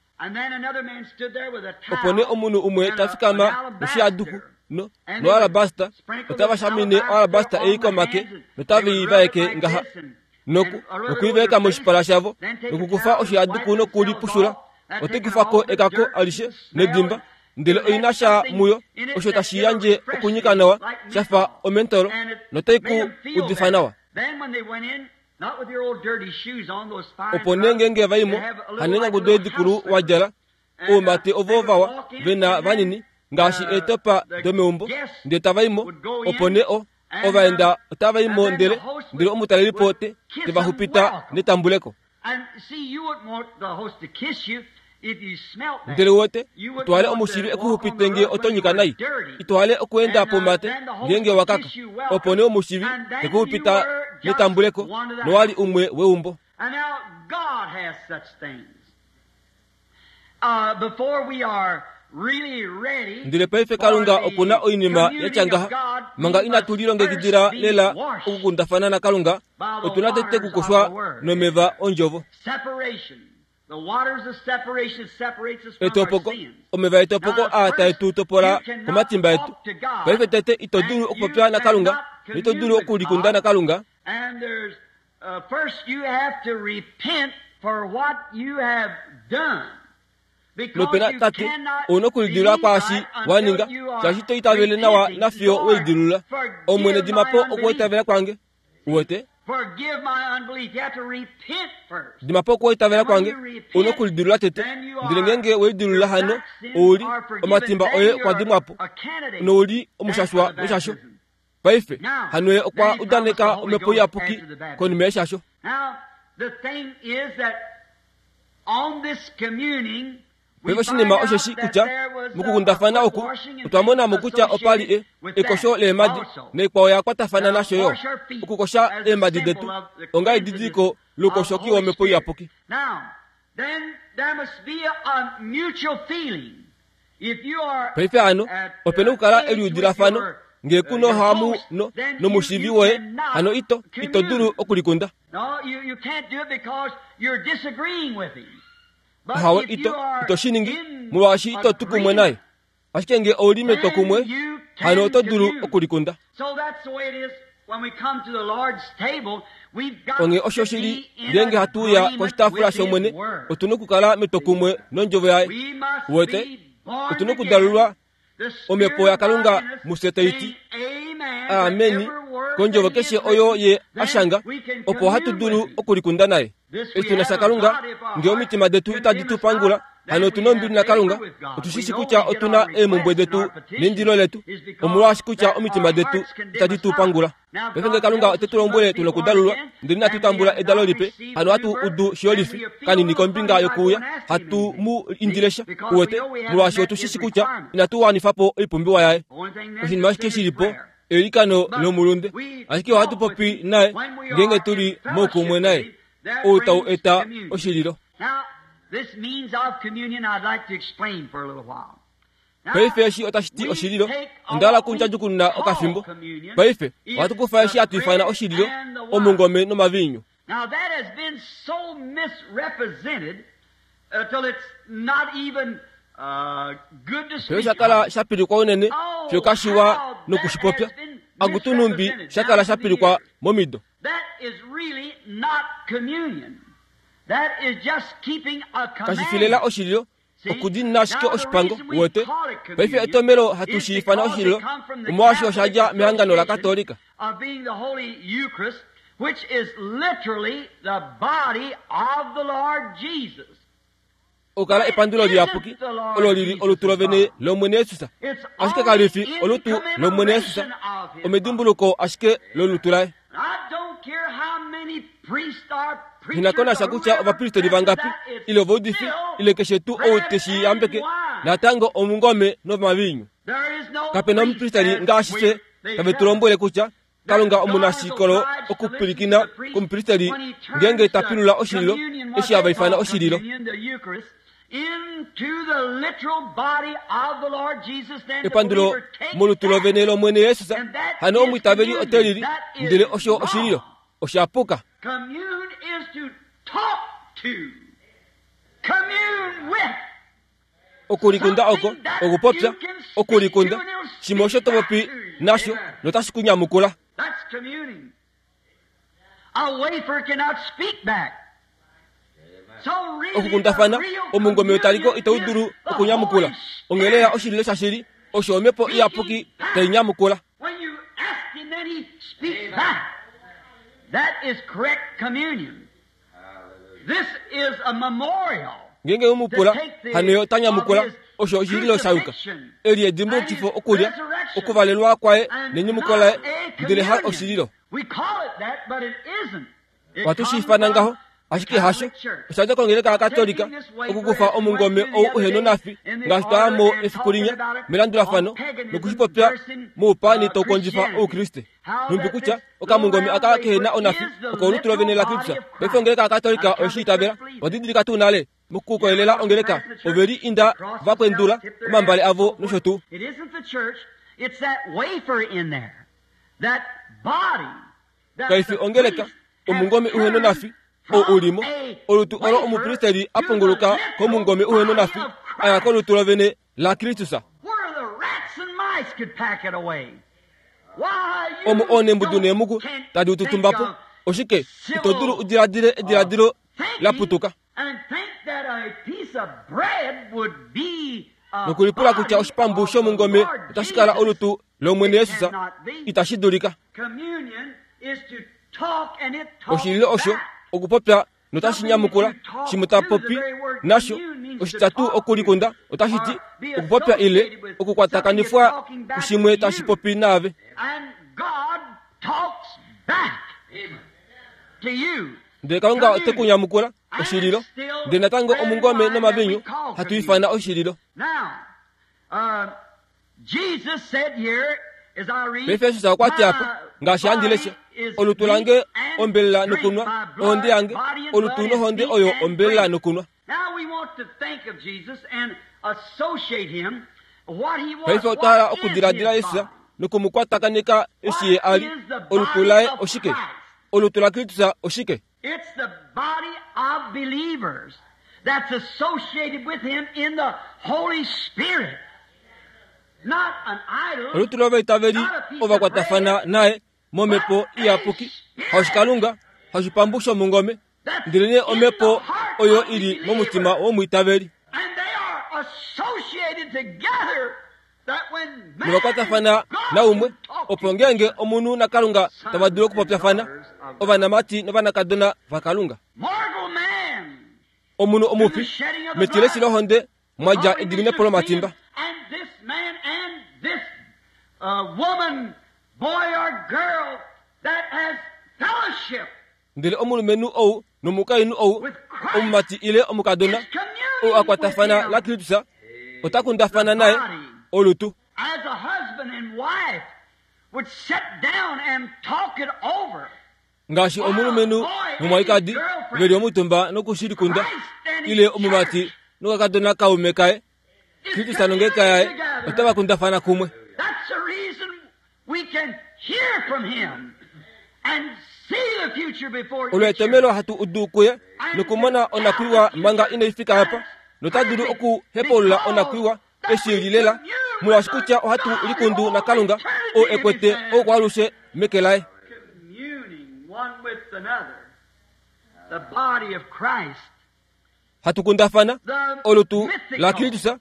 Opo nee omunhu umwe ta fikama noshihaduku no noalabasta, otava shamine oalabasta ei komake notave i vaeke ngaha noku nokuivaeka moshipala shavo nokukufa oshihaduku nokulipushula. Ote kufa ko ekako alishe nedimba, ndele oina sha muyo osho tashi yandje okunyika nawa shafa omentolo, notai ku udifa nawa. Opo nee ngeenge va imo, hanenyangudo dikulu wa djala, oumate ovo vawa ve na vanini, ngaashi eetopa domeumbo ndele tava imo opo nee o ovaenda otava imo ndele ndele omutalelipo te te va xupita netambuleko. Ndele wote twale omushivi ekuxupite ngee oto nyika nai itwale okuenda pomate ngeenge wakaka opo nee omushivi tekuxupita netambuleko nowali umwe weumbo. Ndele paife Kalunga okuna oinima ya ngaha manga inatu lilongekidila lela okukundafana naKalunga otuna tete kukoshwa nomeva ondjovo. Etopoko omeva etopoko aa tae tu topola komatimba etu. Paife tete ito dulu okupopya naKalunga nito dulu okulikunda naKalunga. Nopena tate ouna okulidilula kwaashi waninga shaashi to itavele nawa nafiyo weidilula. Omwene dimapo okuitavela kwange uwete dimapo okuitavela kwange ouna okulidilula tete ndele ngeenge weidilula hano ouli omatimba oye okwa dimwapo nouli omushashwa weshasho. Paife hano ye okwa udaneka omhepo iyapuki konima yeshasho. Paife oshinima osheshi kutya mokukundafana oku otwa monamo kutya opali e ekosho leemadi naikwao ya kwatafana nasho yo okukosha eemadi detu onga edidiliko loukoshoki womhepo iyapuki. Paife hano opena okukala eliudilafano ngee kuno hamu no nomushivi woye hano ito ito dulu okulikunda. Hawe ito ito shiningi molwaashi ito tu kumwe naye. Ashike ngee ouli metwokumwe hano oto dulu okulikunda. Onge osho shili ngeenge hatu uya koshitaafula shOmwene otuna okukala metwokumwe nondjovo yaye. Uwete otuna okudalulwa omhepo yaKalunga mufye taiti ameni kondjovo keshe oyo ye ashanga opo hatu dulu okulikunda naye. Eshi tuna shaKalunga ngee omitima detu itadi tu pangula hano otuna ombili naKalunga. Otushishi kutya otuna eemhumbwe detu neindilo letu omolwaashi kutya omitima detu itadi tu pangula. Paife ngee Kalunga ote tu lombwele tuna okudalulwa ndele inatu tambula edalo lipe hano hatu udu shiyolifi kanini kombinga yokuuya hatu mu indile sha uwete molwaashi otushishi kutya inatu wanifapo oipumbiwa yaye. Oshinima ashike shilipo eilikano lomulunde ashike ohatu popi naye ngeenge tuli moukumwe naye ou tau eta oshililo. Paife eshi otashi ti oshililo onda hala okundjadjukununa okafimbo. Paife ohatu kufa eshi hatu ifana oshililo omungome nomaviinyu. Paife shakala shapilikwa unene fiyo kashiwa nokushipopya akutunumbi shakala shapilikwa momido. Kashifilela oshililo okudinina ashike oshipango uwete. Paife etomelo hatu shi ifana oshililo omolwaashi oshadja mehangano laKatolika. Okukala epandulo liyapuki olo lili olutu lovene lOmwene Jesus. Ashike kalifi olutu lOmwene Jesus omedimbuluko ashike lolutu laye. Hinakonasha kutya ovapristeli vangapi ile ovaudifi ile keshe tuu ou teshi yambeke natango omungome nomaviinyu. Kapena omupristeli ngaashi fye tave tu lombwele kutya Kalunga omunashikolo okupwilikina komupristeli ngeenge ta pilula oshililo eshi hava ifana oshililo. Epandulo molutu lovene lOmwene Jesus hano omwiitaveli ote lili ndele osho oshililo oshapuka. Okulikunda oko okupopya okulikunda shimwe osho to popi nasho notashi kunyamukula. Okukundafana omungome wetaliko itau dulu okunyamukula. Ongheleya oshililo shashili osho omhepo iyapuki tai nyamukula. Ngeenge umupula hano ye ota nyamukula Osho oshililo sha yuka. Eli edimbulukifo okulya okuvalelwa kwaye nenyumuko laye, ndele ha oshililo. Ohatu shi ifana ngaho, ashike hasho. Osha dja kongeleka yaKatolika okukufa omungome ou uhena onafi ngaashi twaya mo efiku linya melandulafano nokushipopya moupani taukondjifa oukriste. Nhumbi kutya okamungome aka kehena onafi oko olutu lovene laKristus. Paife ongeleka yaKatolika oyeshi itavela. Wadidilika tuu nale mokukoyelela ongeleka oveli inda vakwendula omambale avo nosho tuu. Kaifi ongeleka omungome uhena onafi ou ulimo olutu olo omupristeli a pongoloka komungome uhena onafi aya kolutu lovene laKristus. Omo onembudu neemuku tadi ututumbapo. Oshike ito dulu udiladile ediladilo laputuka nokulipula kutya oshipambu shomungome otashi kala olutu lOmwene Jesus? Itashi dulika. Oshililo osho okupopya notashi nyamukula shimwe ta popi nasho. Oshitatu okulikunda otashi ti okupopya ile okukwatakanifwa kushimwe tashi popi naave. Ndele Kalunga ote ku nyamukula oshililo. Ndele natango omungome nomavinyu hatu ifana oshililo. Paife Jesus okwa ti apa, ngaashi handi lesha, olutu lange ombelela nokunwa, ohonde yange olutu nohonde oyo ombelela nokunwa. Paife otwa hala okudiladila Jesus nokumukwatakaneka eshi ye a li. Olutu laye oshike? Olutu laKristus oshike? It's the body of believers that's associated with him in the Holy Spirit. Not an idol. Olutu lovaitaveli ovakwatafana naye momhepo iyapuki, haushikalunga, haushipambu shomungome, ndelenee omhepo oyo ili momutima womwiitaveli. And they are associated together that when man Novakwatafana naumwe, opo ngeenge omunhu naKalunga tava dulu okupopyafana, ovanamati novanakadona vaKalunga. Mortal man, Omunhu omufi metileshi lohonde mwa dja ediminepo lomatimba. And this man and this uh, woman, boy or girl that has fellowship Ndele omulumenhu ou nomukainhu ou, omumati ile omukadona is communing ou akwatafana with him laKristus ota kundafana naye olutu. as a husband and wife would sit down and talk it over. Ngaashi omulumenhu nomwalikadi veli omutumba nokushilikunda, ile omumati nokakadona kaume kaye, Is Kristus nongeleka yaye communing otava together. kundafana kumwe. That's the reason we can hear from him and see the future before it Olo gets here. etomelo hatu udu kuye nokumona onakwiwa manga inai fika apa, nota dulu okuhepaulula onakwiwa eshi lilela, molwaashi kutya ohatu likundu naKalunga oo ekwete oukwaalushe meke laye. Communing one with another. The body of Christ. Hatu kundafana The olutu mythical, laKristus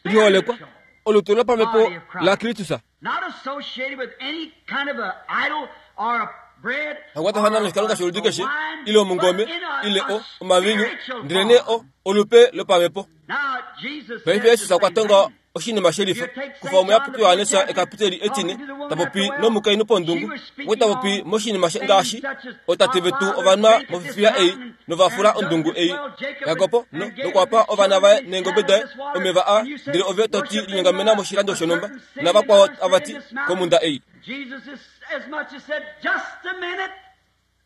liholekwa, spiritual, olutu lopamhepo laKristus. not associated with any kind of a idol or a bread Hakwatafana or noshikalunga a, sholudi a keshe, wine, ile omungome, but in a, ile a o omavinyu, spiritual ndelenee form. o olupe lopamhepo. Now, Jesus Paife said the Jesus okwa same tonga thing. oshinima shelifa kufa omuyapuki Johannes ekapiteli etine tapopi nomukainhu pondungu, okwe tapopi moshinima ngaashi otate vetu ovanwa mofifiya ei novafula ondungu ei. Jakob no nokwapa ovana vaye neengobe daye omeva a, ndele ove toti linyengamena moshilando shonhumba, navakwao avati komunda ei. Jesus is as much as said, just a minute.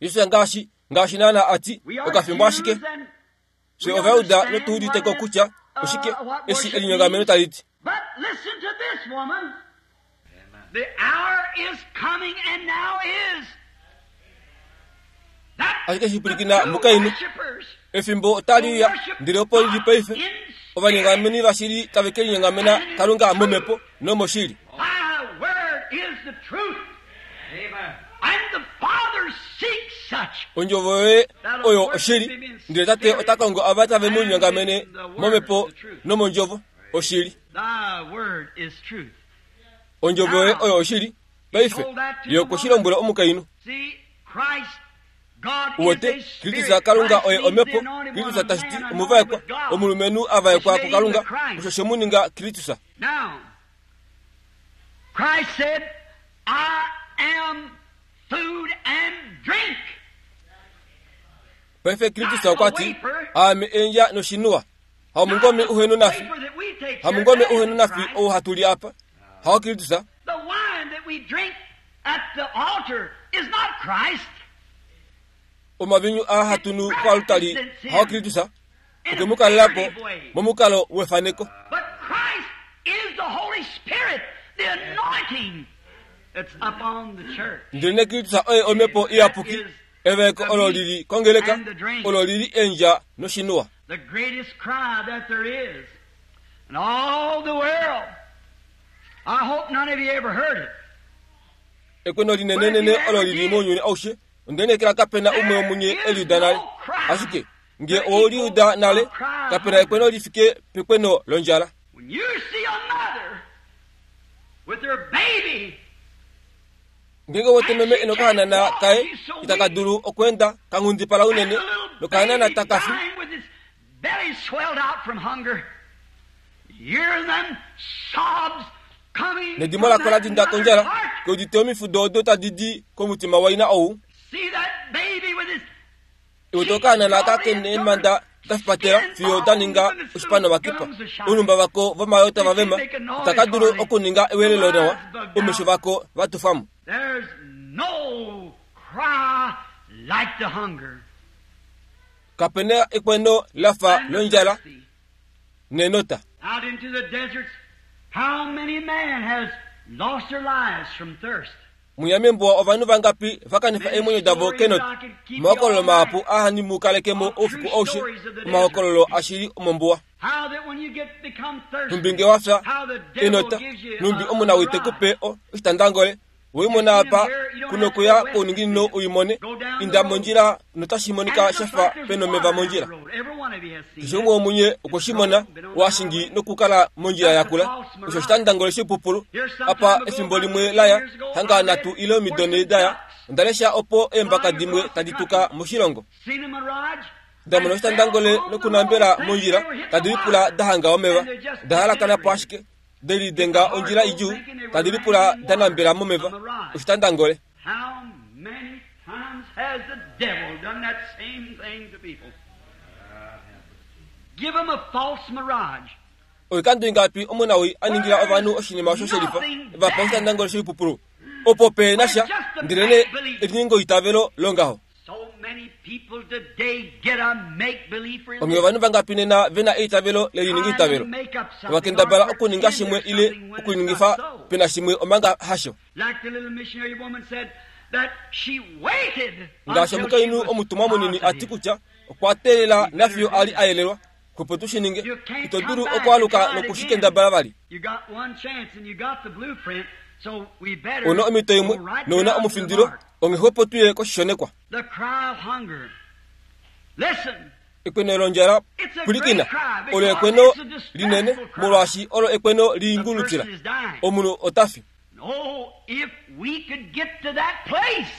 Jesus ngaashi ngaashi naana ati We are okafimbo ashike Jews and fye we Ovayuda understand notuuditeko what it- kutya uh, oshike what eshi worship elinyengameno means. tali ti. But listen to this woman. The hour is coming and now is. That Ashike the shipulikina true mukainhu worshipers efimbo otali will uya worship ndele opo lili God paife in ovanyengameni spirit. vashili tave ke linyengamena Kalunga momhepo nomoshili. My word is the truth. And the Father seeks such. Ondjovo yoye oyo oshili, ndele Tate ota kongo ava tave mu linyengamene momhepo nomondjovo oshili. Thy word is truth. Ondjovo yoye oyo oshili. Paife ye okwe shi lombwela omukainhu. See, Christ Uwete Kristus Kalunga oye omhepo, Kristus tashi ti omuvaekwa, omulumenhu a vaekwa kuKalunga, osho she mu ninga Kristus. Now, Christ said, I am food and drink. Paife Kristus okwa ti, aame endja noshinuwa. Hamungome uhenu nafi. Hamungome uhenu nafi ou hatu li apa. Hao Kristus. The wine that we drink at the altar is not Christ. Omavinyu a hatu nu koalutali hao Kristus. Okemukalelapo momukalo wefaneko. But Christ is the Holy Spirit, the anointing that's upon the church. Ndelene Kristus oye omhepo iyapuki, evaeko olo lili kongeleka, olo lili endja noshinuwa. The greatest cry that there is in all the world. I hope none of you ever heard it. Ekweno linenenene olo lili mounyuni aushe, ondenekela kapena umwe womunye eliuda nale. Ashike nge owoliuda nale, kapena ekweno lifike pekweno londjala. When you see a mother with her baby, Ngenge wote meme enokahanana kaye itaka dulu okwenda kanghundipala unene nokahanana takafi. Dying with his belly swelled out from hunger. Hear them sobs coming Nedimo lako la dinda kondjala, keudite omifudo odo tadi di komutima waina ou. See that baby with his Iwe tokahanana kakene eemanda dafipatela fiyo da ninga oshipano vakipa. Ounumba vako vomayota vavema itaka dulu okuninga ewelelo nawa, omesho vako vatufamo. There's no cry like the hunger. Kapena ekweno lafa And the londjala thirsty. nenota. Out into the deserts, how many men has lost their lives from thirst? Munyamembowa ovanhu vangapi vakanifa eemwenyo davo kenota. Omahokololo mahapu ahanimukalekemo oufiku aushe, omahokololo ashili omombuwa. How that when you get become thirsty, Numbi nge wafya how the devil enota, gives you numbi a, omunawii a tekupe o oshitandangole, weimona apa kunokuya kouninginino uimone, inda mondjila notashi monika shafa pena omeva mondjila. Every one of you has seen Keshe that. umwe womunye okweshimona washingi nokukala mondjila yakula, osho oshitandangole shipupulu. Apa efimbo limwe laya, hanga nhatu ile omido nhee daya, onda lesha opo eembaka dimwe tadi tuka moshilongo. Seen a mirage? Ndamona oshitandangole nokunambela mondjila tadi lipula da hanga omeva, da halakana po ashike, delidenga ondjila idjuu, tadi lipula da nambela momeva, oshitandangole. How many times has the devil done that same thing to people? Give them a false mirage. Oikando ingapi omunawii a ningila ovanhu oshinima osho shelifa, vapa oshitandangole shoipupulu, opo pe na sha, ndelene eliningoitavelo longaho. So many people today get a make-believe Onge religion. ovanhu vangapi nena vena eitavelo lelininga Trying to itavelo, make up something vakendabala or okuninga pretend shimwe there's ile something when it's okuningifa not so. pena shimwe omanga hasho. Like the little missionary woman said that she waited Ngaashi until she omukainhu was omutumwa munini ati positive. kutya okwa teelela nafiyo ali a yelelwa, opo tu shi ninge, ito dulu okwaluka nokushikendabala vali. You got one chance and you got the blueprint, so we better Una omhito imwe go right nouna down to the omufindilo, mark. onghexwepo tuye koshishonekwa. The cry of hunger. Listen, Ekweno londjala it's a pwilikina, great cry olo because ekweno it's a linene distressful cry. molwaashi olo ekweno The liingulutila. person is dying. Omunhu ota fi. Oh, if we could get to that place.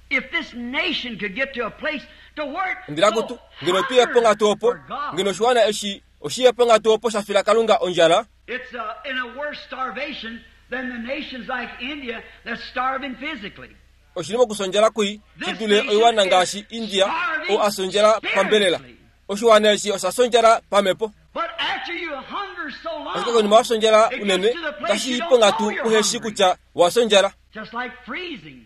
If this nation could get to a place to where it Ndila kutu, so ngeno tuye po ngatu opo, for God. ngeno oshiwana eshi oshiye po ngatu opo sha fila Kalunga ondjala, It's uh, in a worse starvation than the nations like India that's starving physically. oshili mokusondjala kui shi dule oiwana ngaashi India ou a sondjala pambelela. Oshiwana eshi osha sondjala pamhepo. But after you hunger so Ashike long, konima wa sondjala it unene, gets to the place otashi you i po don't know ngatu you're uheshi hungry. kutya wa sondjala. Just like freezing.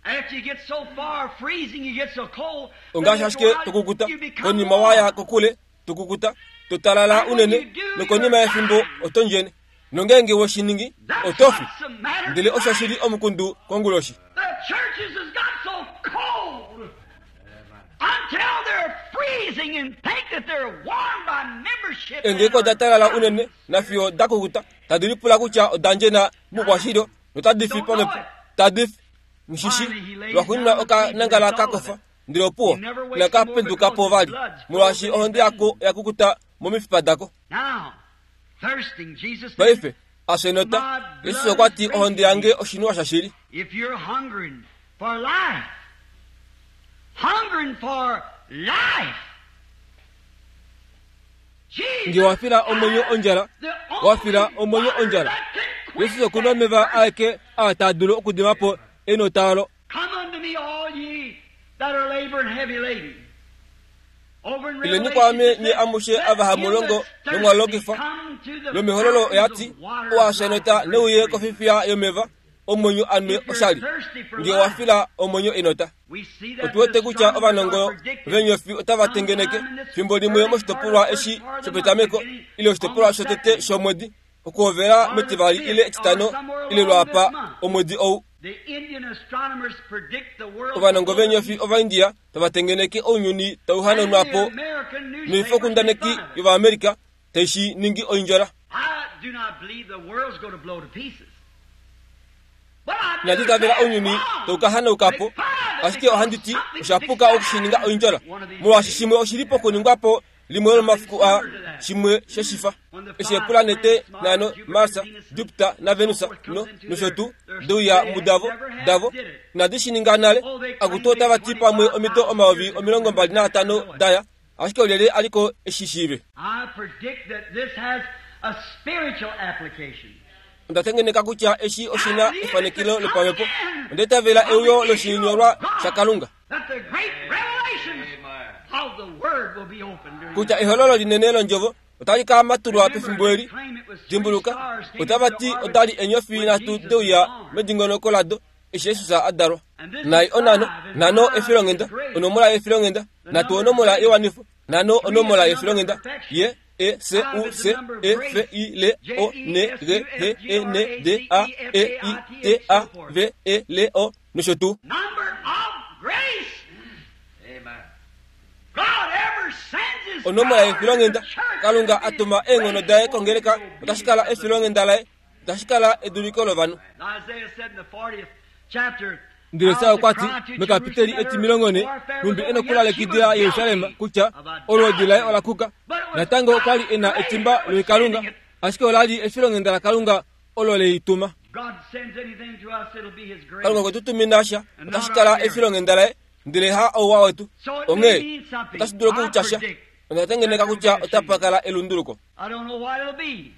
After you get so far freezing, you get so cold. then Ongaashi you ashike go out, tokukuta, you become konima waya warm. kokule, tokukuta, totalala unene, nokonima yefimbo oto ndjene. Nongeenge we shi ningi, That's oto fi. what's the matter Ndele osho tonight. shili omukundu konguloshi. The churches has got so cold until they're freezing and think that they're warm by membership. Eengeko oda talala unene nafiyo da kukuta, tadi lipula kutya oda ndjena mukwashilyo notadi fi pamhepo, tadi fi. Mushishi, lwaxuuninwa okanangala kakofa, ndele opuwo, inaka penduka po vali, molwaashi ohonde yako oya kukuta momifipa dako. Now, thirsting, Jesus said, Paife, afyenota, Jesus okwa ti ohonde yange oshinuwa shashili. if you're hungering for life, Hungering for life. Nge wafila omwenyo ondjala, wafila omwenyo ondjala. Jesus okuna omeva aeke aa taa dulu okudima po enota olo. Come unto me, all ye that are labor and heavy laden. Over in Ileni Revelation, kwaame it nye says, amushe let ava him hamulongo that's thirsty nomwalongifwa. come to the Lomehololo fountains oya of ti, water owa of sha life neuye free. kofifiya yomeva omwenyo anwe If you're oshali. thirsty for Nge life, wafila omwenyo enota. we see that Otu wete the kutya astronomers ovanongo are predicting venyofi otava tengeneke sometime in this fimbo limwe early moshitopolwa part of the eshi first part of the shopetameko month, beginning ile oshitopolwa on the shotete second. shomwedi okuhovela metivali ile etitano ile lwapa omwedi ou. The Indian astronomers predict the world Ovanongo venyofi ovaindia tava tengeneke ounyuni tau and hanaunwa the po American newspapers noifokundaneki make fun of it. yovaamerica taishi ningi oindjola. I do not believe the world's going to blow to pieces. But I do Inandi itavela say ounyuni wrong. tau ka hanauka po, Make fun of it ashike because ohandi ti something's osha puka fixed okushininga to happen oindjola one of these molwaashi days. shimwe oshili pokuningwa po limwe lomafiku a shimwe sheshifa eshi epulanete nhano Mars, Jupiter na Venus no nosho tuu deuya mudavo davo inadi shi ninga nale akutu otava ti pamwe omido omayovi omilongo mbali naatano daya ashike olyelye aliko eshishiive. I predict that this has a spiritual application. Onda tengeneka kutya eshi oshina efanekilo lopamhepo. Onda itavela euyo loshinyolwa shaKalunga That the great revelations of the Word will be opened during kutya ehololo linene londjovo otali ka matulwa pefimbo eli. Dimbuluka, otava ti otali enyofi nhatu deuya medingonoko lado eshi Jesus a dalwa. Nai onano, nhano efilonghenda, onomola yefilonghenda, nhatu onomola yewanifo, nhano onomola yefilonghenda, Y E C U C E F I L O N G H E N D A E I T A V E L O nosho tuu. Number of grace. Amen. God ever sends his Onomola power yefilonghenda to the church Kalunga to a be tuma eenghono daye kongeleka otashi kala efilonghenda laye otashi kala eduliko lovanhu. Isaiah said in the fortieth chapter, Ndele Esau okwa ti mekapiteli etimilongo ne numbi e nokulalekidila Yerusalem kutya olwoodi laye ola kuka. Natango okwali e na etimba loikalunga ashike olali efilonghenda laKalunga olo leituma. God sends anything to us, it'll be his grace. Kalunga okwe tu tumina sha otashi kala efilonghenda laye ndele ha ouwa wetu. So it may Onghee mean something. otashi dulu okutya I sha. predict Onda tengeneka kutya otapa kala elunduluko. I don't know what it'll be,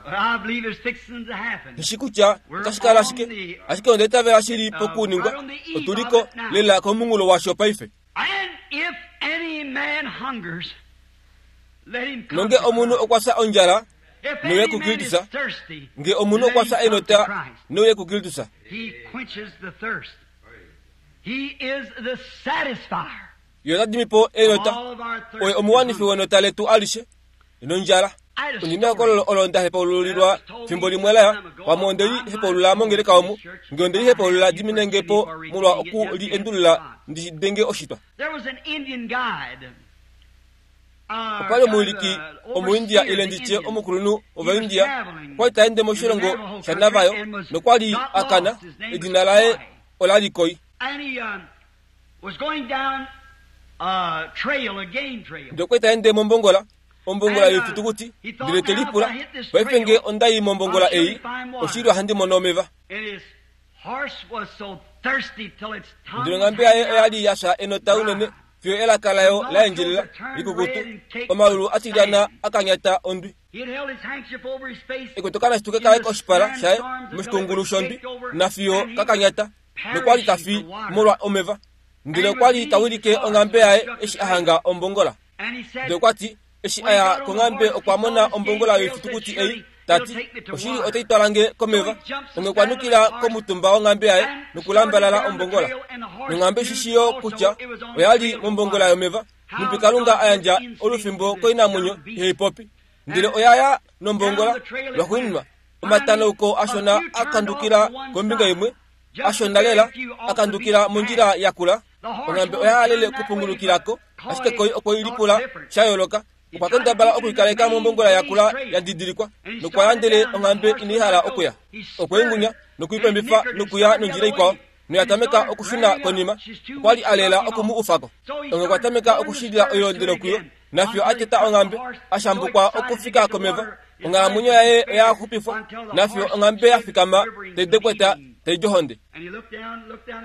but I believe it's fixing to happen. Ndishi kutya otashi kala shike ashike onda itavela shili pokuningwa otuliko lela komunghulo washo paife. And if any man hungers, let him come Nonge to omunhu Christ. okwa fya ondjala If neuye any man is kuKristus, thirsty, nge omunhu let okwa him fya come to enota Christ. neuye kuKristus. He quenches the thirst. He is the satisfier Ye ota dimi po enota of all of our thirst. oye omuwanifi wenota letu alishe nondjala. I had a Ondina story ekololo olo nda hepaululilwa fimbo limwe laya pamwe ondeli hepaulula mongeleka omu nge ondeli hepaulula diminenge po molwa oku li endulula ndi denge oshitwa. There was an Indian guide. Uh, Opali omuwiliki kind of, uh, omuindia overseer ile of the nditye Indians. omukulunhu He was ovaindia traveling okwali taende in the moshilongo Navajo shaNavajo country and was nokwali got akana lost. His name was edina laye Koi. olali Koi. And he um, was going down a trail, a game trail. Ndele okwali taende mombongola ombongola And, uh, yoifitukuti he thought, ndele te now, if lipula I hit this paife trail, nge ondayi mombongola I'll surely ei find water. oshili ohandi mono omeva. And his horse was so thirsty till its tongue Ndele was onghambe yaye hanging oyali out. yafya enota unene fiyo elaka layo la endjelela likukutu omaulu atilyana akanyata ondwi. He had held his handkerchief over his face Ekotokana shituke kaye koshipala shaye moshikungulu shondwi nafiyo kakanyata nokwali tafi molwa omeva. Ndele okwali tawilike onghambe yaye eshi ahanga ombongola. And he said, Ndele okwati eshi aya konghambe okwa mona ombongola yoifitukuti ei tati oshili otai twala nge komeva. Onge okwa nukila komutumba wonghambe yaye nokulambalala ombongola. Nonghambe shishiyo kutya oyali mombongola yomeva numbi Kalunga a yandja olufimbo koinamwenyo ihaipopi. Ndele oyaya nombongola lwaxuuninwa omatanauko ashona akandukila kombinga imwe ashona lela akandukila mondjila yakula. Onghambe oya halele okupungulukilako ashike Koi okwe lipula sha yooloka. Okwa kendabala okuikaleka mombongola yakula ya didilikwa nokwa yandele onghambe inaihala okuya. Okwe ingunya nokuipembifa nokuya nondjila ikwao noya tameka okushuna konima. Okwali a lela oku mu ufako. Onge okwa tameka okushilila oilondelo kuyo nafiyo a teta onghambe ashambukwa okufika komeva. Onghalamwenyo yaye oya xupifwa nafiyo onghambe ya fikama tai dekweta tai ohonde.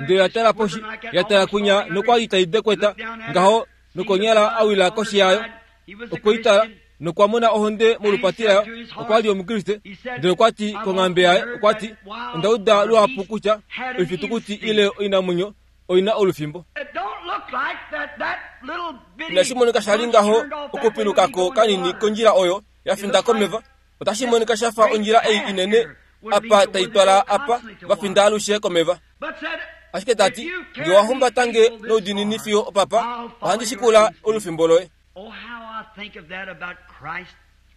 Ndele ya tala poshi, ya tala kunya nokwa li tai dekweta ngaho nokonyala a wila koshi yayo. Okwe i tala nokwa mona ohonde molupati layo. Okwa li Omukriste. Ndele okwa ti konghambe yaye, okwa ti, onda uda luhapu kutya oifitukuti ile oinamwenyo oina olufimbo. Inashi monika sha li ngaho okupilukako kanini kondjila oyo ya finda komeva. Otashi monika sha fa ondjila ei inene apa tai twala apa va finda alushe komeva. Ashike tati, nge wa humbatange noudinini fiyo opapa, ohandi shikula olufimbo loye.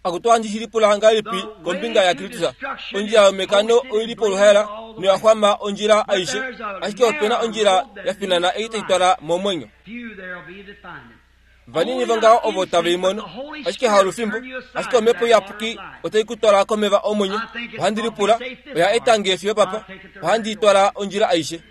Akutu ohandi shilipula ngahelipi kombinga yaKristus. Ondjila yomekano oili poluhaela noya xwama ondjila aishe, ashike opena ondjila ya finana ei tai twala momwenyo. Vanini vongaho ovo tave i mono, ashike haolufimbo, ashike omhepo iyapuki otai ku twala komeva omwenyo. Ohandi lipula, oya eta nge fiyo papa, ohandi i twala ondjila aishe.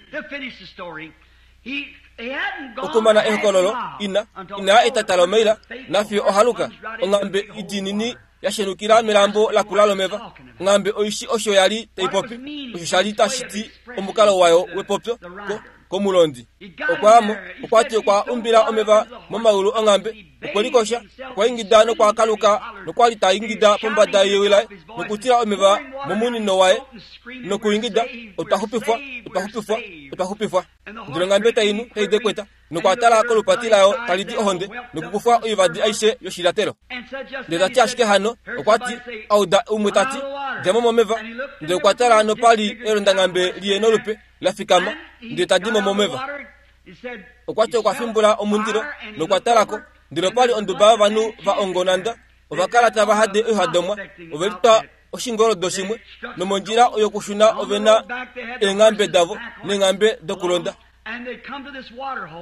Okumana ehokololo, ina ina etata lomaila, nafiyo ohaluka, onghambe idinini ya shenukila melambo lakula lomeva. Onghambe oishi osho ya li tai popi, osho sha li tashi ti omukalo wayo wepopyo ko komulondi. Okwa amo, okwa ti okwa umbila omeva momaulu onghambe, okwe likosha, okwa ingida nokwa kaluka, nokwa li ta ingida pombada yewi laye, nokutila omeva momunino waye, nokuingida, otwa xupifwa, otwa xupifwa, otwa xupifwa. Ndele onghambe tai nu, tai dekweta, nokwa tala kolupati layo tali di ohonde, nokukufwa oivadi aishe yoshilatelo. Ndele tati ashike hano, okwa ti, auda umwe tati, dja mo momeva. Ndele okwa tala nopali elondanghambe liye nolupe la fikama, ndele tadi mo momeva. Okwa ti okwa fimbula omundilo, nokwa talako, ndele opali onduba yovanhu va ongonanda, ova kala tava hade oihadomwa, ove litwa oshingoldo shimwe, nomondjila yokushuna ove na eenghambe davo neenghambe dokulonda.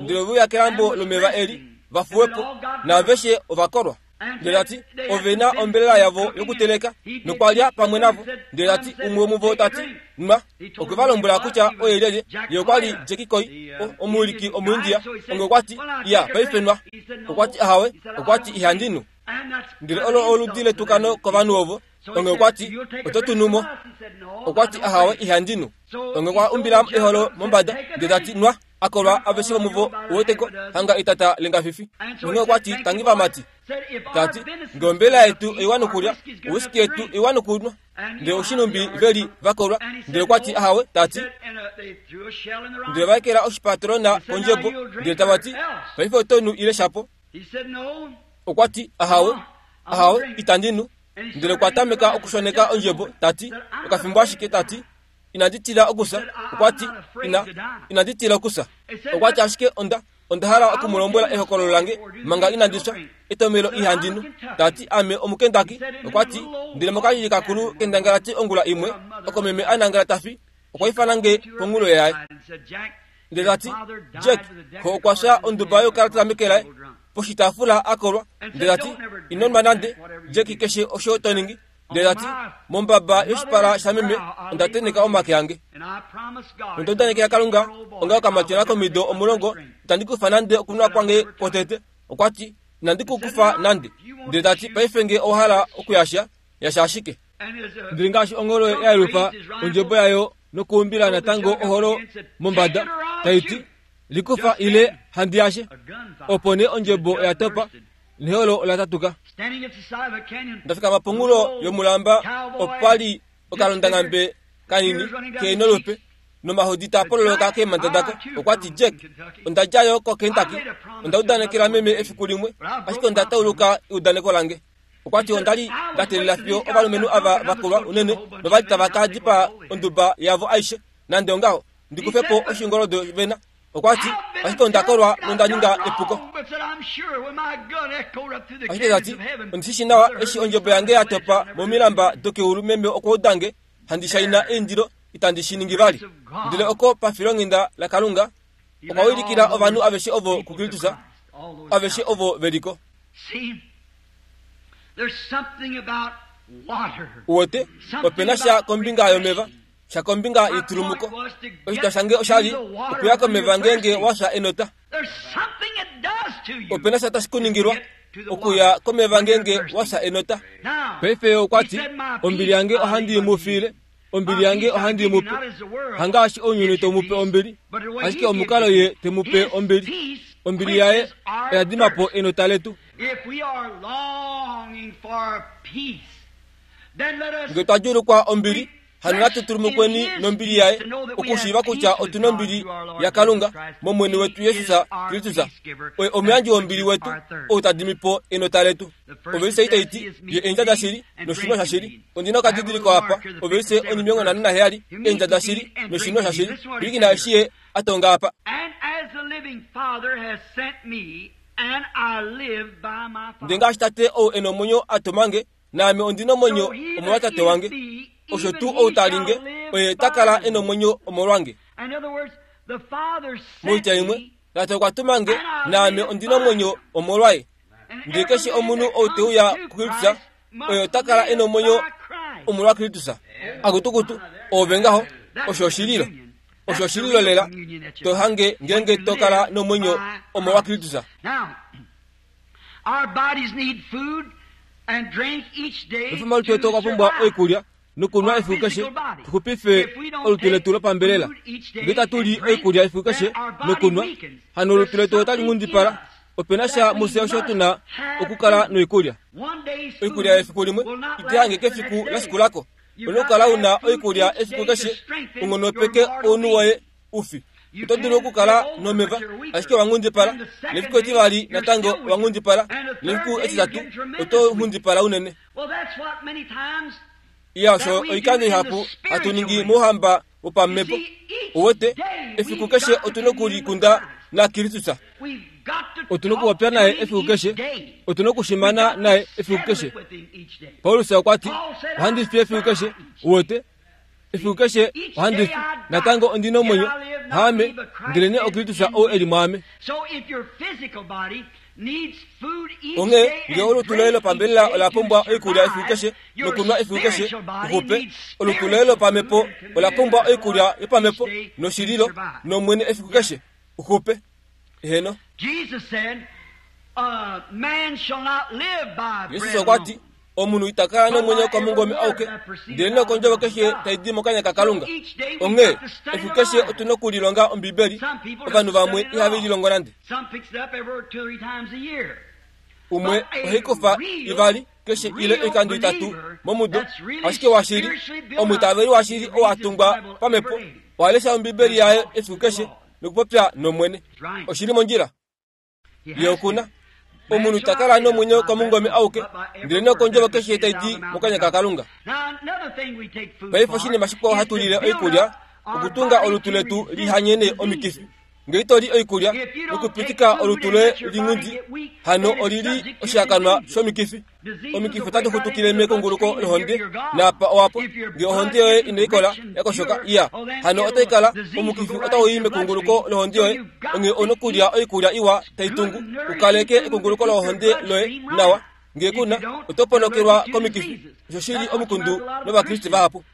Ndele ove uya kelambo lomeva eli, va fuwepo, naaveshe ova kolwa. Ndele tati, ove na ombelela yavo yokuteleka, nokwa lya pamwe navo. Ndele tati, umwe womuvo tati, nwa. Okwe va lombwela kutya oye lyelye, ye okwa li Jackie Koi, omuwiliki Omuindia. Onge okwa ti, iya, paife nwa. Okwa ti ahawe, okwa ti ihandi nu. Ndele olo oludi letukano kovanhu ovo. Onge okwa ti, oto tu nu mo. Okwa ti ahawe, ihandi nu. Onge okwa umbila eholo mombada, ndele tati nwa. Akolwa aveshe vomuvo uweteko hanga etata lengafifi. Onge okwa ti tangi vamati. Tati, nge ombelela yetu oiwa nokulya, owiski yetu oiwa nokunwa. Ndele oshinumbi veli vakolwa. Ndele okwa ti ahawe, tati. Ndele vaekela oshipatrona kondjebo, ndele tava ti, paife oto nu ile shapo. Okwa ti ahawe, ahawe, itandi nu. Ndele okwa tameka okushoneka ondjebo, tati, okafimbo ashike, tati, inandi tila okusa. Okwa ti, ina, inandi tila okusa. Okwa ti ashike onda, onda hala okumulombwela ehokololo lange manga inandi fya. Etomelo ihandi nu. Tati ame omukendaki. Okwa ti, ndele mokalili kakulu kendangalati ongula imwe, oko meme a nangala tafi, okwa ifana nge pongulo yaye. Ndele tati, Jack, ko okwa fya onduba yokalata meke laye, poshitaafula a kolwa. Ndele tati, ino nwa nande, Jack, keshe osho to ningi. Ndele tati, mombaba yoshipala shameme onda teneka omake ange. Onda udanekela Kalunga, onga okamatyona komido omulongo, itandi kufa nande okunwa kwange kwotete. Okwa ti, inandi ku kufa nande. Ndele tati, paife nge owa hala okuyasha, yasha ashike. Ndele ngaashi ongolo ya yelufa ondjebo yayo nokuumbila natango oholo mombada, tai ti, likufa ile handi yashe. Opo nee ondjebo oya topa, neholo ola tatuka. Ndafikama pongulo yomulamba, opali okalondanghambe kanini ke nolupe, nomahodi taa pololoka keemhanda dako. Okwa ti, Jack, onda djayo koKentucky, onda udanekela meme efiku limwe, ashike onda tauluka eudaneko lange. Okwa ti onda li nda teelela fiyo ovalumenhu ava va kolwa unene novali tava ka dipaa onduba yavo aishe, nande ongaho, ndi kufe po oshingoldo vena. Okwa ti, ashike onda kolwa nonda ninga epuko. Ashike tati, ondi shi nawa eshi ondjebo yange ya topa momilamba dokeulu, meme okwa udange handi shaina eindilo, itandi shi ningi vali. Ndele oko pafilonghenda laKalunga, okwa wilikila ovanhu aveshe ovo kuKristus, aveshe ovo veliko. Uwete, opena sha kombinga yomeva, sha kombinga yetulumuko. Oshitwa shange osha li okuya komeva ngeenge wa fya enota. Opena sha tashi kuningilwa okuya komeva ngeenge wa fya enota. Paife okwa ti, ombili yange ohandi i mu fiile, Ombili yange ohandi mu pe. Hangaashi ounyuni to mu pe ombili, ashike omukalo ye te mu pe ombili. Ombili yaye oya dima po enota letu. Nge twa djuulukwa ombili, hano natu tulumukweni nombili yaye, okushiiva kutya otuna ombili yaKalunga mOmwene wetu Jesus Kristus. Oye omuyandji wombili wetu, ou ta dimi po enota letu. Ovelise itai ti ye eendja dashili noshinwa shashili. Ondina okadidiliko apa, ovelise onimilongo nhano naheyali, eendja dashili noshinwa shashili. Pwilikina eshi ye a tonga apa. Ndele ngaashi Tate ou e nomwenyo a tuma nge, naame ondi nomwenyo omolwaTate wange. Osho tuu ou ta linge, oye ta kala e nomwenyo omolwange. Moitya imwe, Tate okwa tuma nge, naame ondi nomwenyo omolwaye. Ndele keshe omunhu ou te uya kuKristus, oye ota kala e nomwenyo omolwaKristus. Akutukutu, oove ngaho, osho oshililo. Osho oshililo lela, to hange ngeenge to kala nomwenyo omolwaKristus. Omalutu etu okwa pumbwa oikulya nokunwa efiku keshe, tuxupife olutu letu lopambelela. Ngee tatu li oikulya efiku keshe nokunwa, hano olutu letu otali nghundipala. Opena sha mufye osho tuna okukala noikulya. Oikulya yefiku limwe ite hange kefiku la shikulako. Ona okukala una oikulya efiku keshe, unghonopeke ounhu woye ufi. Oto dulu okukala nomeva, ashike owa nghundipala. Nefiku etivali natango owa nghundipala. Nefiku etitatu oto nghundipala unene. Iya, osho oikando ihapu hatu ningi mouhamba wopamhepo. Uwete, efiku keshe otuna okulikunda naKristus. Otuna okupopya naye efiku keshe. Otuna okushimana naye efiku keshe. Paulus okwa ti, ohandi fi efiku keshe. Uwete, efiku keshe ohandi fi. Natango ondi nomwenyo, haame, ndelenee oKristus ou e li mwaame. Onghee ngee olutu loye lopambelela ola pumbwa oikulya efiku keshe nokunwa efiku keshe, uxupe, olutu loye lopamhepo ola pumbwa oikulya yopamhepo noshililo nOmwene efiku keshe, uxupe. Eheno. Jesus okwa ti, omunhu ita kala nomwenyo komungome auke, ndele nokondjovo keshe tai di mokanya kaKalunga. Onghee efiku keshe otuna okulilonga Ombibeli. Ovanhu vamwe ihave lilongo nande. Umwe ohai kufa ivali keshe ile oikando itatu momudo, ashike washili, omwiitaveli washili oo a tungwa pamhepo, oha lesha Ombibeli yaye efiku keshe nokupopya nOmwene. Oshili mondjila. Ye okuna. Omunhu ta kala nomwenyo komungome auke, ndele nokondjovo keshe tai di mokanya kaKalunga. Paife oshinima shikwao hatu lile oikulya, okutunga olutu letu lihanyene omikifi. Ngee to li oikulya nokupitika olutu loye linghundi, hano olili oshihakanwa shomikifi. Omikifi otadi xutukile mekunguluko lohonde, naapa owapo. Ngee ohonde yoye inai kola yakoshoka, iya, hano otai kala omukifi otau i mekunguluko lohonde yoye. Onghee ouna okulya oikulya iwa tai tungu, ukaleke ekunguluko lohonde loye nawa. Ngee kuna, oto ponokelwa komikifi. Osho shili omukundu nOvakriste vahapu.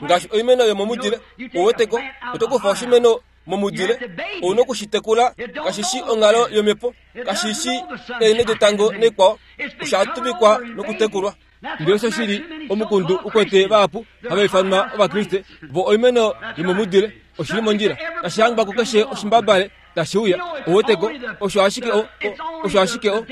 Ngaashi oimeno yomomudile, uweteko, oto kufa oshimeno momudile, ouna okushitekula. Kashi shi onghalo yomhepo, kashi shi eenhe detango naikwao, osha tuvikwa nokutekulwa. Ndele osho shili omukundu ukwete vahapu hava ifanwa Ovakriste, vo oimeno yomomudile. Oshili mondjila, tashi hangwa kukeshe oshimbabale tashi uya. Uweteko, osho ashike o, osho ashike o,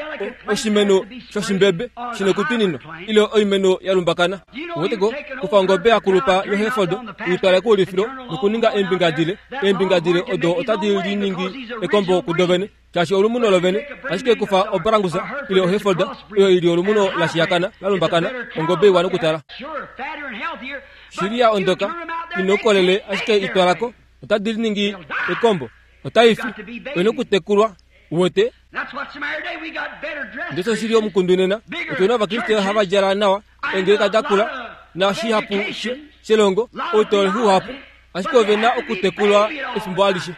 oshimeno shoshimbebe shina okutwininwa, ile oimeno ya lumbakana. Uweteko, kufa ongobe ya kulupa yoHereford, uitwale koulifilo nokuninga eembinga dile. Eembinga dile odo otadi liningi ekombo kudovene, shaashi olumuno lovene. Ashike kufa obrangusa ile oHereford, oyo ili olumuno la shiyakana la lumbakana, ongobe iwa nokutala. Shili ya ondoka, ina oukolele, ashike itwalako, otadi liningi ekombo. Otai fi, oina okutekulwa. Uwete, ndele oshili omukundu nena, otuna Ovakriste hava djala nawa, eengeleka da kula, nashihapu shelongo, outololi uhapu, ashike ove na okutekulwa efimbo alishe.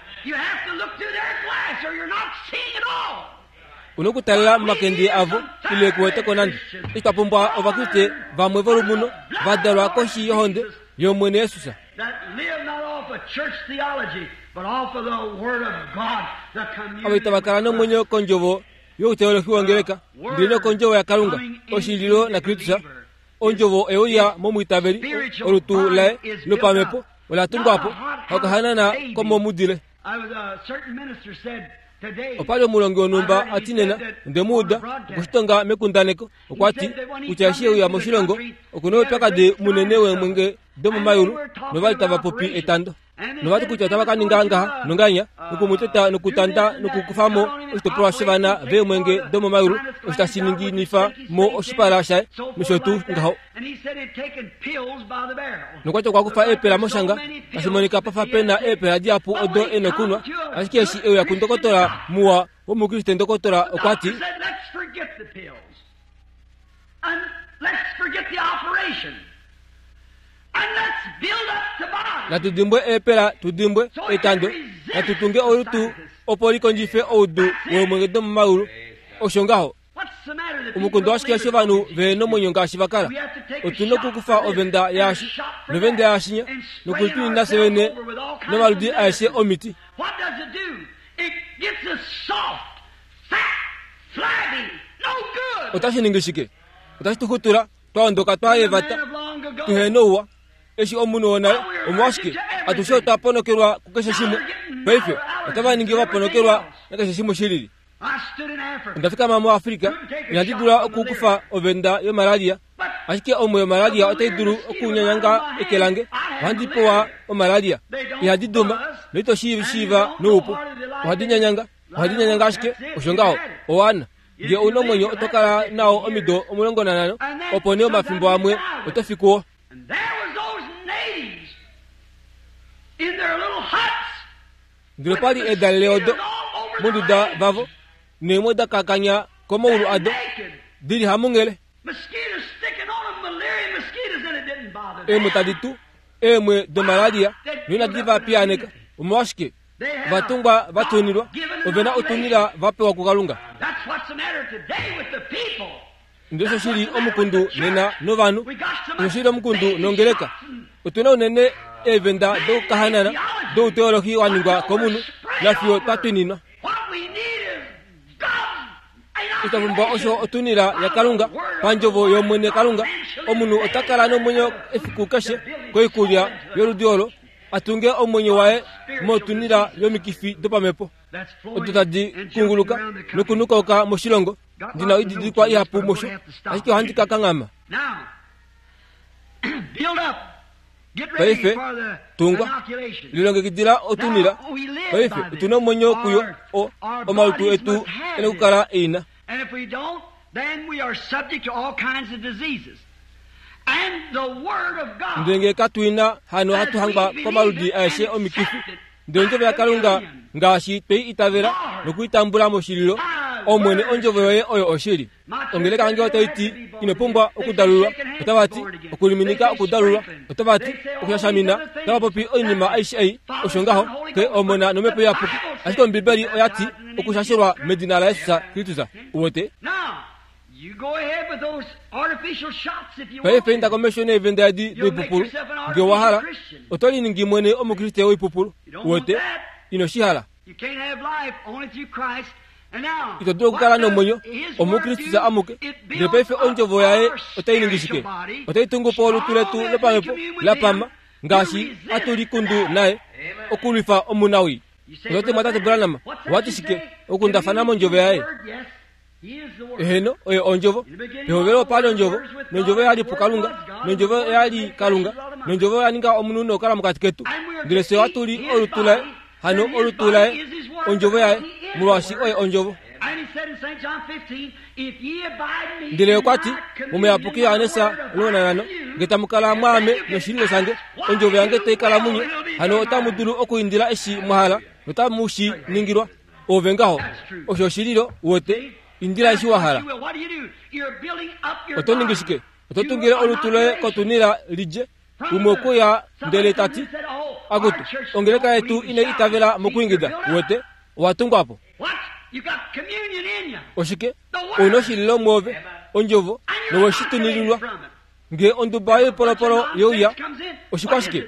Una okutalela momakende avo ile kuweteko nande. Eshi twa pumbwa Ovakriste vamwe volumuno va dalwa koshi yohonde yOmwene Jesus, avo itava kala nomwenyo kondjovo youteolohi wongeleka, ndele nokondjovo yaKalunga, oshililo naKristus, Ondjovo euya momwiitaveli olutu laye lopamhepo ola tungwapo okahanana komomudile. Opali omulongi wonhumba ati nena ondemuuda okushitonga mekundaneko okwa ti kutya eshi euya moshilongo okuna oupyakadi munene weemwenge domomayulu novali tava popi etando. Novati kutya otava ka ninga ngaha nonganya nokumuteta nokutanda nokukufamo oshitopolwa shovana veemwenge domomayulu osho tashi ninginifa mo oshipala shaye nosho tuu ngaho. Nokwati okwa kufa eepela moshanga tashi monika pafa pena eepela dihapu odo e nokunwa, ashike eshi euya kundokotola muwa womukriste ndokotola okwa ti natudimbwe eepela tudimbwe etando natutunge olutu opo likondjife oudu weemwenge domomayulu. Osho ngaho omukundu washike eshi ovanhu ve nomwenyo ngaashi vakala. Otuna okukufa ovenda yaashi novenda yaashinya nokulitwinina fye vene nomaludi aeshe omiti. Otashi ningi shike? Otashi tuxutula twaondoka twayevata tuhe nouwa. Eshi omunhu wonale omolwashike atushe otwa ponokelwa kukeshe shimwe. Paife otava ningi vaponokelwa nakeshe shimwe shilili. Onda fikama muAfrika inandi dula okukufa ovenda yomalaria, ashike omwe yomalaria otai dulu okunyanyanga eke lange. Ohandi pewa omalaria, ihadi duma noito shiiva noupu. Ohadi nyanyanga, ohadi nyanyanga ashike osho ngaho owana. Nge ouna omwenyo oto kala nao omido omulongo nanhano, opo nee omafimbo amwe oto fi kuwo. Ndele opali edalele odo monduda vavo neemwe da kakanya komaulu ado dili hamunghele. Eemwe tadi tu eemwe domalaria noinadi va piyaaneka. Omolwashike ovatungwa va tunilwa ovena otunila va pewa kuKalunga. Ndele osho shili omukundu nena novanhu, osho shili omukundu nongeleka. Otuna unene eevenda dokukahanana douteolohi wa ningwa komunhu nafiyo twa twininwa. Otwa pumbwa osho otunila yaKalunga pandjovo yOmwene Kalunga. Omunhu ota kala nomwenyo efiku keshe koikulya yoludi olo atunge omwenyo waye motunila yomikifi dopamhepo odo tadi kunguluka nokunukauka moshilongo. Ndina oididilikwa ihapu mosho, ashike ohandi ka kanghama. Paife tungwa lilongekidila otunila. Paife otuna omwenyo kuyo o omalutu etu ene okukala eina. Ndele ngee katuina hano ohatu hangwa komaludi aeshe omikifi. Ndele ondjovo yaKalunga ngaashi twei itavela nokuitambula moshililo, Omwene ondjovo yoye oyo oshili. Ongeleka yange otai ti ino pumbwa okudalulwa, otava ti okuliminika okudalulwa, otava ti okushashamina, otava popi oinima aishe ei. Osho ngaho ke omona nomhepo iyapuki, ashike Ombibeli oya ti okushashelwa medina laJesus Kristus. Uwete? Paife inda komesho neevenda edi doipupulu nge wa hala, oto liningi mwene omukriste woipupulu. Uwete? Ino shi hala. Ito dulu okukala nomwenyo omuKristus amuke. Ndele paife ondjovo yaye otai ningi shike? Otai tungu po olutu letu lopamhepo la pama ngaashi atu likundu naye okulwifa omunawii. Ototi mwatate Branham, owati shike okundafana mondjovo yaye? Eheno, oye ondjovo. Pehovelo opali ondjovo, nondjovo yali puKalunga, nondjovo yali Kalunga, nondjovo ya ninga omunhu nokukala mokati ketu. Ndele fye ohatu li olutu laye, hano olutu laye ondjovo yaye, molwaashi oye ondjovo. Ndele okwa ti momuyapuki Johannes omulongo nanhano, nge tamu kala mwaame noshililo shange, ondjovo yange tai kala munye, hano otamu dulu okuindila eshi mwa hala notamu shi ningilwa. Ove ngaho osho oshililo uwete, indila eshi wa hala. Oto ningi shike? Oto tungile olutu loye kotunila lidje. Umwe okuya ndele ta ti, akutu, ongeleka yetu inai itavela mokuingida. Uwete, owa tungwa po. Oshike? Ouna oshililo mwoove, ondjovo, nowe shi tunililwa. Nge onduba yoipolopolo youya, oshikwashike?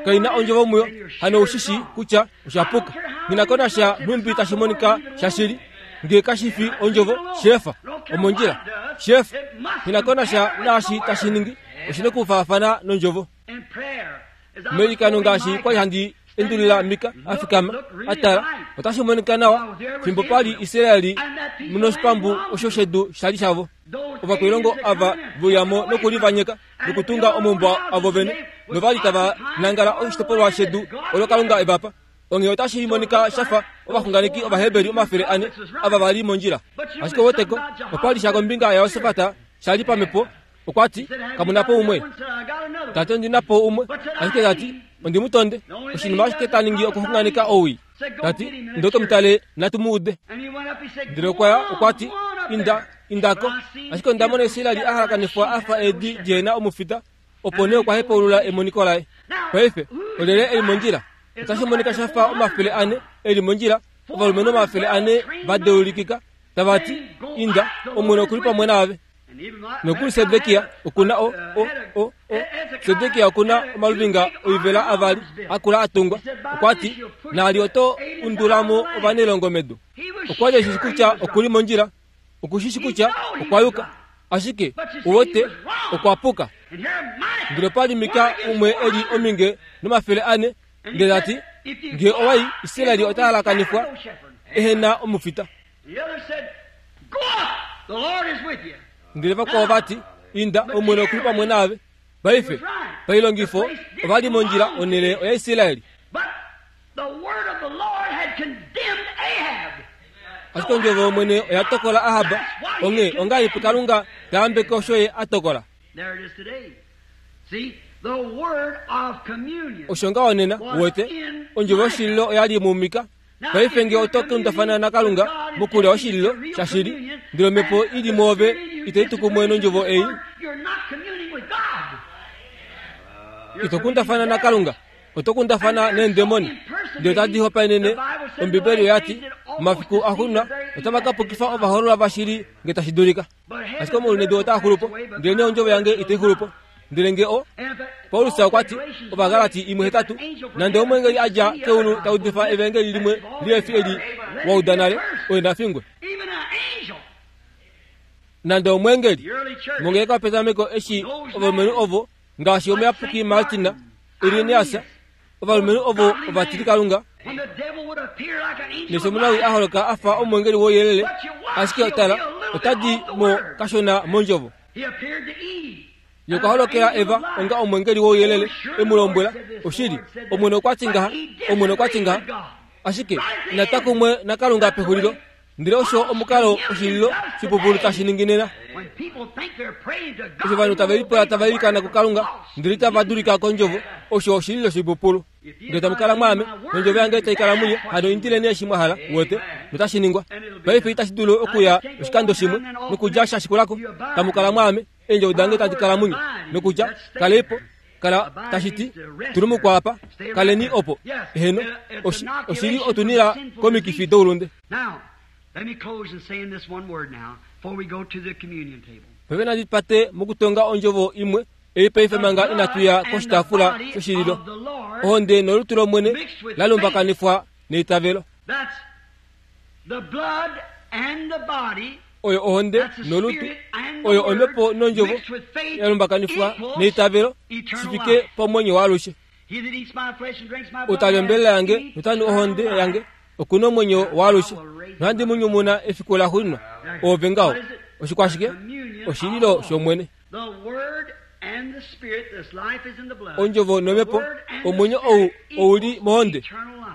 Kaina ondjovo muyo, hano oushi shi kutya osha puka. Nghi ko nasha nhumbi tashi monika shashili, nge kashi fi ondjovo, shefa omondjila. Chef, hinakona sha naashi tashi ningi oshina okufaafana nondjovo. Meilikano ngaashi kwali handi endulila Mika afikama atala otashi monika nawa fimbo pali Israeli munoshipambu osho shedu shali shavo. Ovakwilongo ava veuyamo nokulivanyeka nokutunga omaumbo avo vene novali tava nangala oshitopolwa shedu olo Kalunga evapa. Onghee otashi monika shafa ovaxunganeki Ovaheberi omafele ane ava vali mondjila. Ashike woteko opali sha kombinga yaJosafat shali pamhepo. Okwati kamunapo umwe. Tate ondinapo umwe, ashike tati ondimutonde. Oshinima ashike ta ningi okuxunganeka owii. Tati ndoke mutale natu muude. Ndele okwaya okwati inda indako. Ashike onda mona Israeli a halakanifwa afa eedi dihena omufita. Opo nee okwa hepaulula emoniko laye. Paife olyelye eli mondjila? Otashi monika shafa omafele ane eli mondjila, ovalumenhu omafele ane va deulikika tava ti inda, Omwene okuli pamwe naave. Nokuli Sedekia okuna o o o o Sedekia okuna omaluvinga oivela avali akula atungwa. Okwati naali oto undulamo ovanailongo medu. Okwali eshi kutya okuli mondjila, okushishi kutya okwa yuka, ashike uwete okwa puka. Ndele opali Mika umwe eli ominge nomafele ane, ndele tati ngee owai Israeli ota halakanifwa ehena omufita. Ndele vakwao vati inda, Omwene okuli pamwe naave. Paife pailongifo ovali mondjila onhele oyaIsraeli. Ashike ondjovo yOmwene oya tokola Ahab. Onghee ongahelipi Kalunga ta yambeke osho ye a tokola? Osho ngaho nena, uwete, ondjovo yoshililo oyali muMika. Paife ngee oto kundafana naKalunga mokulya oshililo shashili, ndele omhepo ili mwoove itai tu kumwe nondjovo ei, ito kundafana naKalunga, oto kundafana neendemoni. Ndele otadi hopaenene. Ombibeli oyati momafiku axuuninwa otava ka pukifa ovahoololwa vashili ngee tashi dulika. Ashike omaulunedu otaa xulupo, ndelenee ondjovo yange itai xulupo. Ndele ngee o Paulus okwati Ovagalati imwe hetatu, nande omweengeli a dja keulu ta udifa evangeli limwe lihe fi eli wa uda nale, oye na fingwe. Nande omweengeli mongeleka yopetameko eshi ovalumenhu ovo ngaashi omuyapuki Martina, Irenaeus, ovalumenhu ovo ovatilikalunga, nesho omunawi a holoka afa omweengeli wouyelele, ashike tala otadi mo kashona mondjovo. Ye okwa holokela Eva onga omweengeli wouyelele, e mu lombwela oshili, Omwene okwati ngaha, Omwene okwati ngaha, ashike inatwa kumwe naKalunga pexulilo. Ndele osho omukalo oshililo shipupulu tashi ningi nena. Eshi ovanhu tave lipula tava ilikana kuKalunga ndele itava dulika kondjovo, osho oshililo shipupulu. Ngee tamu kala mwaame, nondjovo yange tai kala munye, hano indileni eshi mwa hala, uwete, notashi ningwa. Paife itashi dulu okuya oshikando shimwe nokudja sha shikulako. Tamu kala mwaame, eendjovo dange tadi kala munye, nokutya kaleipo, kala tashi ti tulumukwa apa, kaleni opo. Eheno, oshili otunila komikifi doulunde. Paife nandi pate mokutonga ondjovo imwe ei paife manga inatuya koshitaafula shoshililo. Ohonde nolutu lOmwene la lumbakanifwa neitavelo. Oyo ohonde nolutu, oyo omhepo nondjovo ya lumbakanifwa neitavelo shi fike pomwenyo waalushe. Ou tali ombelela yange notanu ohonde yange okuna omwenyo waalushe, nohandi mu nyumuna efiku laxuuninwa. Oove ngaho oshikwashike? Oshililo shOmwene. Ondjovo nomhepo, omwenyo ou ouli mohonde.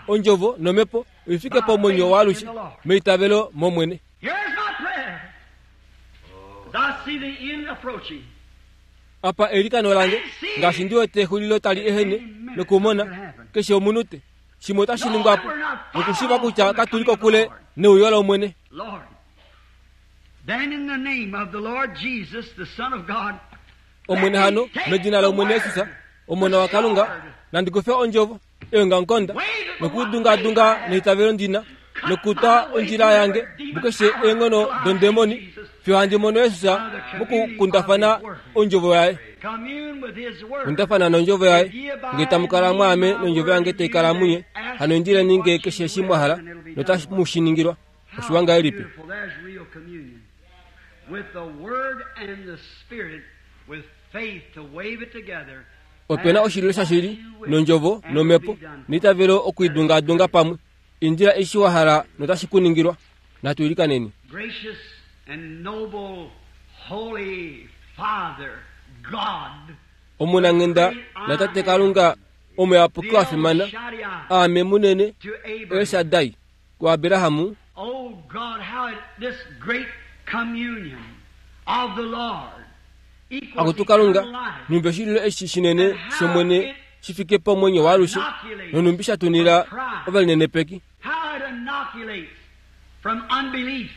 Ondjovo nomhepo oifike pomwenyo waalushe meitavelo mOmwene. Apa eilikano lange ngaashi ndi wete exulilo tali ehene nokumona keshe omunute shimwe otashi ningwapo nokushiiva kutya katuli kokule neuyo lOmwene. Omwene hano medina lOmwene Jesus, Omona waKalunga, nandi kufe ondjovo eongamukonda nokudungadunga neitavelo ndina nokutwa ondjila yange mukeshe eenghono dondemoni fiyo handi mono Jesus mokukundafana ondjovo yaye. Kundafana nondjovo yaye, ngee tamu kala mwaame nondjovo yange tai kala munye, hano indileni nge keshe eshi mwa hala notamu shi ningilwa. Oshiwa ngahelipi? Opena oshililo shashili nondjovo nomhepo neitavelo okuidungaadunga pamwe. Indila eshi wa hala notashi ku ningilwa. Natu ilikaneni. Gracious and noble holy Father God, Omunanghenda natate Kalunga omuyapuki wa fimana, aame munene to Abraham. El Shaddai kuAbrahamu. Oh God, how it, this great communion of the Lord equals Akutu Kalunga, eternal life. numbi oshililo eshi shinene shomwene shi fike pomwenyo waalushe, nonumbi sha tunila ovalinenepeki. How it inoculates from unbelief.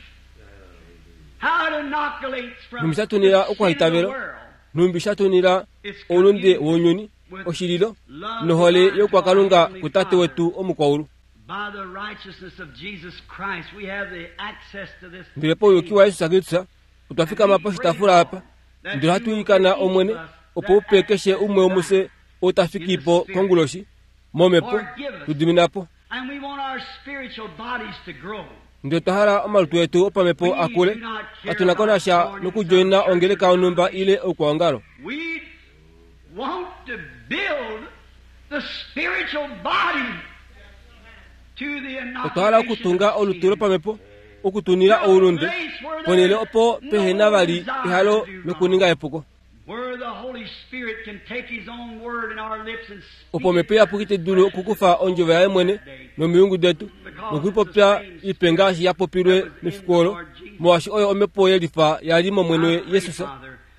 How it inoculates from Numbi sha tunila the sin of the okuhaitavela. world. Numbi sha tunila oulunde wounyuni, oshililo nohole yokwakalunga kutate wetu omukwaulu. By the righteousness of Jesus Christ, we have the access to this. Ndele pauyuki waYesus Kristus otwa fikama poshitaafula apa, ndele ohatu ilikana Omwene opo upe keshe umwe womufye ou ta fiki po konguloshi momhepo tu dimina po. And we want our spiritual bodies to grow. Ndele otwa hala omalutu etu opamhepo akule, katuna ko nasha nokudjoina ongeleka yonhumba ile oukwaongalo. We want to build the spiritual body to the Otwa hala inoculation okutunga of olutu sin. lopamhepo okutunila oulunde ponhele opo pehena vali ehalo lokuninga epuko, Where the Holy Spirit can take His own word in our lips and speak opo omhepo iyapuki tayi dulu okukufa ondjovo yaye mwene nomilungu detu nokuipopya ipe ngaashi ya popilwe mefiku olo, molwaashi oyo omhepo yelifa yali momwene Jesus.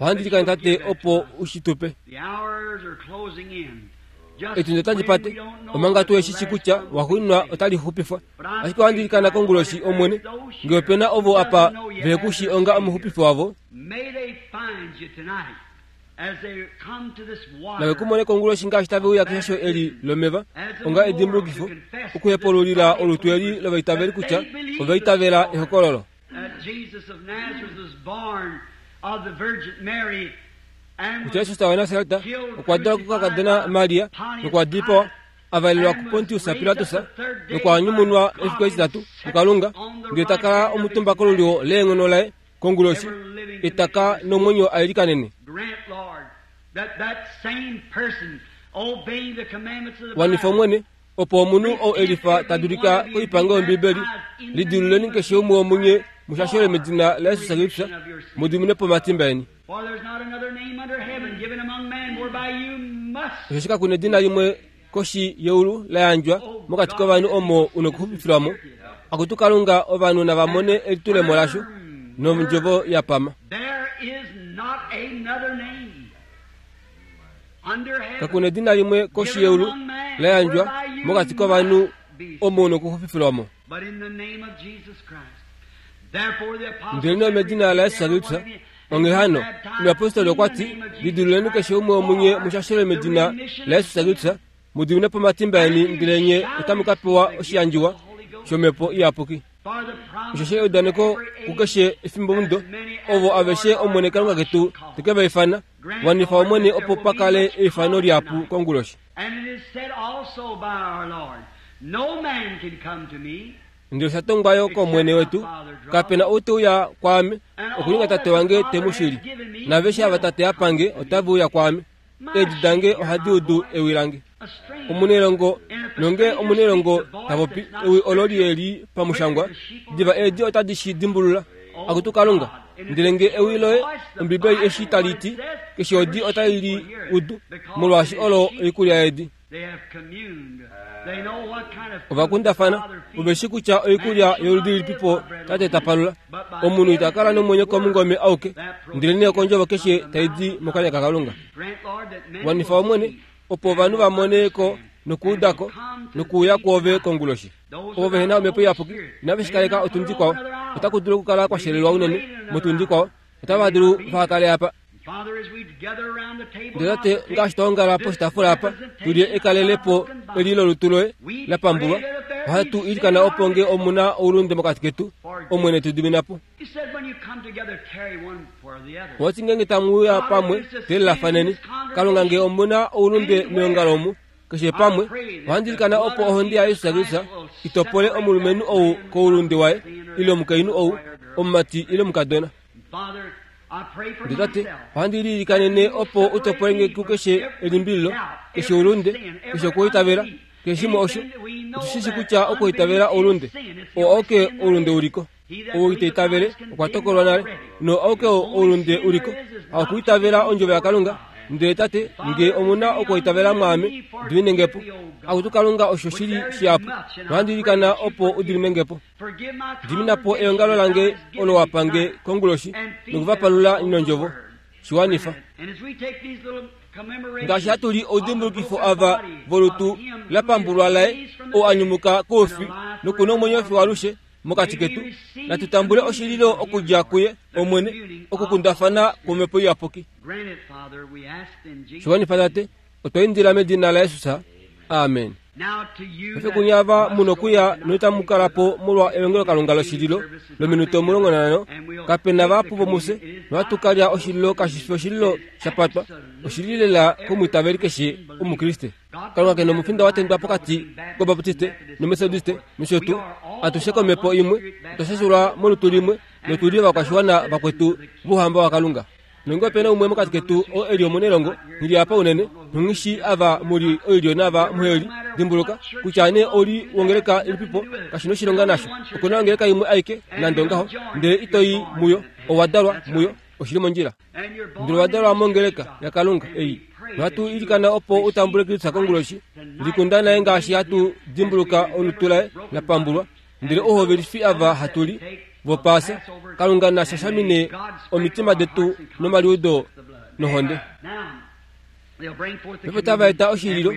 Ohandi ilikana Tate opo u shi tupe. The hours are closing in. Just Etundi otali when pate we don't know omanga if tu the eshi shi last kutya one will be waxuuninwa saved. otali xupifwa. Ashike ohandi ilikana konguloshi Omwene, ngee opena ovo apa vehe ku shi onga omuxupifi wavo, May they find you tonight as they come to this water. nave ku mone konguloshi ngaashi tave uya keshasho eli lomeva onga edimbulukifo okuhepululila olutu eli lovaitaveli kutya ovaitavela ehokololo That Jesus of Nazareth was born of the Virgin Mary and kutya was Jesus waNasareta okwa dalwa kukakadona Maria nokwa dipawa, a valelwa kuPontius Pilatus nokwa nyumunwa efiku etitatu kuKalunga, ndele ta kala omutumba kolulyo leenghono laye konguloshi, etaka nomwenyo ailikanene. Grant, Lord, that that same person obeying the commandments of the Wanifa Bible Omwene opo omunhu ou elifa ta dulika koipango yOmbibeli, lidiluleni keshe umwe womunye mushashelwe medina laYesus Kristus, mu dimine po omatimba eni. For there's not another name under heaven given among men whereby you must Osheshi kakuna edina limwe koshi yeulu la yandjwa mokati kovanhu omo una okuxupifilwa mo. Akutu Kalunga, ovanhu nava mone elitulemo lasho nondjovo ya pama. There is not another name under heaven Kakuna edina limwe koshi yeulu la yandjwa mokati kovanhu omo una okuxupifilwa mo. but in the name of Jesus Christ. Therefore the apostle Ndele nee medina laYesus Kristus, onghee hano omuyapostoli okwa ti, lidiluleni keshe umwe womunye mushashelwe medina laYesus Kristus, mu dimine po omatimba eni, ndele nye otamu ka pewa oshiyandjiwa shomhepo iyapuki. For the promise Osheshi eudaneko kukeshe efimbomudo ovo aveshe Omwene Kalunga ketu te ke va ifana, wanifa Omwene opo pa kale eifano lihapu konguloshi. And it is said also by our Lord, no man can come to me Ndele osha tongwa yo kOmwene wetu, kapena ou te uya kwaame okuninga tate wange te mu shili, naaveshe ava tate a pange otave uya kwaame. Eedi dange ohadi udu ewi lange. a stranger. Omunelongo nonge omunelongo ta popi ewi olo lieli pamushangwa, diva eedi otadi shi dimbulula. Akutu Kalunga, ndele nge ewi loye Ombibeli eshi tali ti, keshe odi otai li udu, molwaashi olo oikulya yeedi. They have communed. They know what kind of food the Ovakundafana Father feeds. ove shi kutya oikulya yoludi lilipipo tate ta palula. Omunhu ita kala nomwenyo komungome auke, ndele nee kondjovo keshe tai di mokanya kaKalunga. Grant, Lord, that many Wanifa will Omwene see opo ovanhu va mone ko nokuudako nokuuya kwoove konguloshi. Ovo vehena omhepo iyapuki inave shi kaleka otundi kwao, otaku dulu okukala kwa shelelwa unene motundi kwao, otava dulu vahakale apa. Father, as we gather around the table Ndele now tate to take ngaashi twa ongala poshitaafula apa tulye ekalelepo eli lolutu loye la pambulwa, ohatu ilikana opo nge omuna oulunde mokati ketu, Omwene tu dimina po. You said when you come together, carry one for the other. Owati ngeenge tamu uya pamwe telelafaneni, Kalunga nge omuna oulunde meongalo omu, keshe pamwe, ohandi ilikana opo ohonde yaYesus Kristus itopole omulumenhu ou koulunde waye, ile omukainhu ou, omumati ile omukadona. Ndele tate, ohandi liilikanene opo u topolenge kukeshe elimbililo, keshe oulunde, keshe okuitavela, keshe shimwe osho. Otu shi shi kutya okuitavela oulunde, oo auke oulunde uliko. Ou ita itavele okwa tokolwa nale, no auke oulunde uliko, haukuitavela ondjovo yaKalunga. Ndele tate, nge omuna okuitavela mwaame, diminenge po. Akutu Kalunga, osho shili shihapu, nohandi ilikana opo u diminenge po. Dimina po eongalo lange olo wa pange konguloshi nokuvapalula nondjovo. Shiwanifa. Ngaashi hatu li oudimbulukifo ava volutu la pambulwa laye, ou a nyumuka koufi nokuna omwenyo fiyo alushe mokati ketu, natu tambule oshililo okudja kuye Omwene, okukundafana kwomhepo iyapuki. Shiwanifa tate, otwa indila medina laJesus. Amen. Paife kunye ava mu nokuya noitamu kala po molwa elongelokalunga loshililo lominute omulongo nanhano, kape na vahapu vomufye, nohatu ka lya oshililo kashi fi oshililo sha patwa, oshili lela komwiitaveli keshe Omukriste. Kalunga ke nomufinda wa tendwa pokati kObaptiste nOmethodiste nosho tuu. Atushe komhepo imwe otwa shashulwa molutu limwe notu li ovakwashiwana vakwetu vOuhamba waKalunga. Nonge ope na umwe mokati ketu oo e li omunelongo, nghi apa unene, nonghi shi ava mu li oilyo naava muheli. Dimbuluka, kutya nee ou li wongeleka ilipipo, kashi noshilonga nasho. Oku na ongeleka imwe aike, nande ongaho, ndele ito i muyo, owa dalwa muyo, oshili mondjila. Ndele owa dalwa mongeleka yaKalunga ei. Nohatu ilikana opo u tambule Kristus konguloshi, likunda naye ngaashi hatu dimbuluka olutu laye la pambulwa, ndele ouhovelifi ava hatu li vopaasa, Kalunga na shashamine omitima detu nomaliudo nohonde. Paife otava eta oshililo,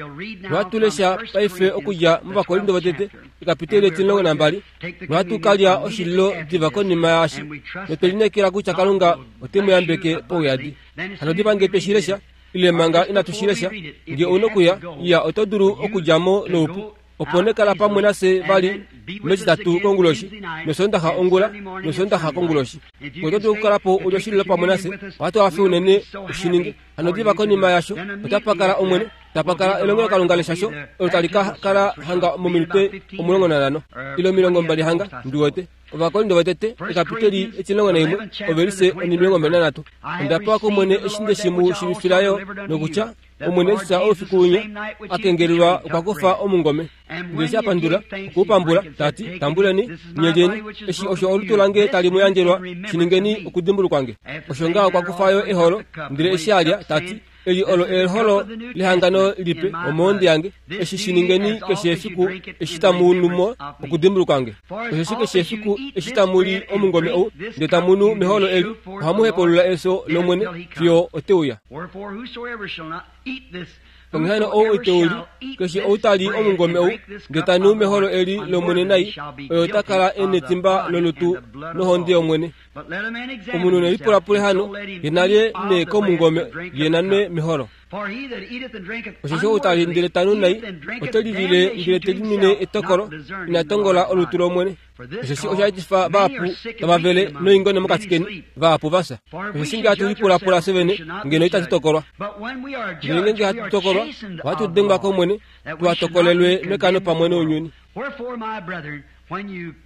nohatu lesha paife okudja mOvakorinto votete ekapiteli etimulongo nambali, nohatu ka lya oshililo diva konima yaashi, notwe lineekela kutya Kalunga ote mu yambeke pauyadi. Hano diva nge twe shi lesha, ile manga inatu shi lesha, nge ou nokuya, iya oto dulu okudja mo noupu. Opo nee kala pamwe nafye vali mEtitatu konguloshi, nOsoondaxa ongula, nOsoondaxa konguloshi. Ngee oto dulu okukala po u li oshililo pamwe nafye, ohatu hafe unene u shi ninge. Hano diva konima yasho, otapa kala Omwene, tapa kala elongelokalunga leshasho olo tali ka kala hanga mominute omulongo nanhano, ile omilongo mbali hanga, ndi wete. Ovakorinto votete, ekapiteli etimulongo naimwe, ovelise onimilongo mbali nanhatu. Onda pewa kOmwene eshi nde shi mu shiivifila yo, nokutya Omwene Jesus oufiku winya a kengelelwa okwa kufa omungome, ndele eshi a pandula, okwe u pambula, ta ti, Tambuleni, nye lyeni, eshi osho olutu lange tali mu yandjelwa, shi ningeni okudimbulukwa nge. Osho ngaha okwa kufa yo eholo, ndele eshi a lya, ta ti, Eli olo eholo lehangano lipe omohonde yange, eshi shi ningeni keshe efiku eshi tamu nu mo okudimbulukwa nge. Osheshi keshe efiku eshi tamu li omungome ou, ndele tamu nu meholo eli, ohamu hepaulula efyo lOmwene fiyo ote uya. Onghee hano ou ite u li, keshe ou ta li omungome ou, ndele ta nu meholo eli lOmwene nai, oye ota kala e netimba lolutu nohonde yOmwene. Omunhu ne lipulapule hano, ye na lye nee komungome, ye na nwe meholo. Osheshi ou ta li ndele ta nu nai, ote lilile ndele te linwine etokolo, ina tongola olutu lOmwene. Osheshi osha etifa vahapu tava vele noingone mokati keni, vahapu va fya. Osheshi nge hatu lipulapula fye vene, ngeno itatu tokolwa. Ndele ngeenge hatu tokolwa, ohatu dengwa kOmwene, tuha tokolelwe mekano pamwe nounyuni.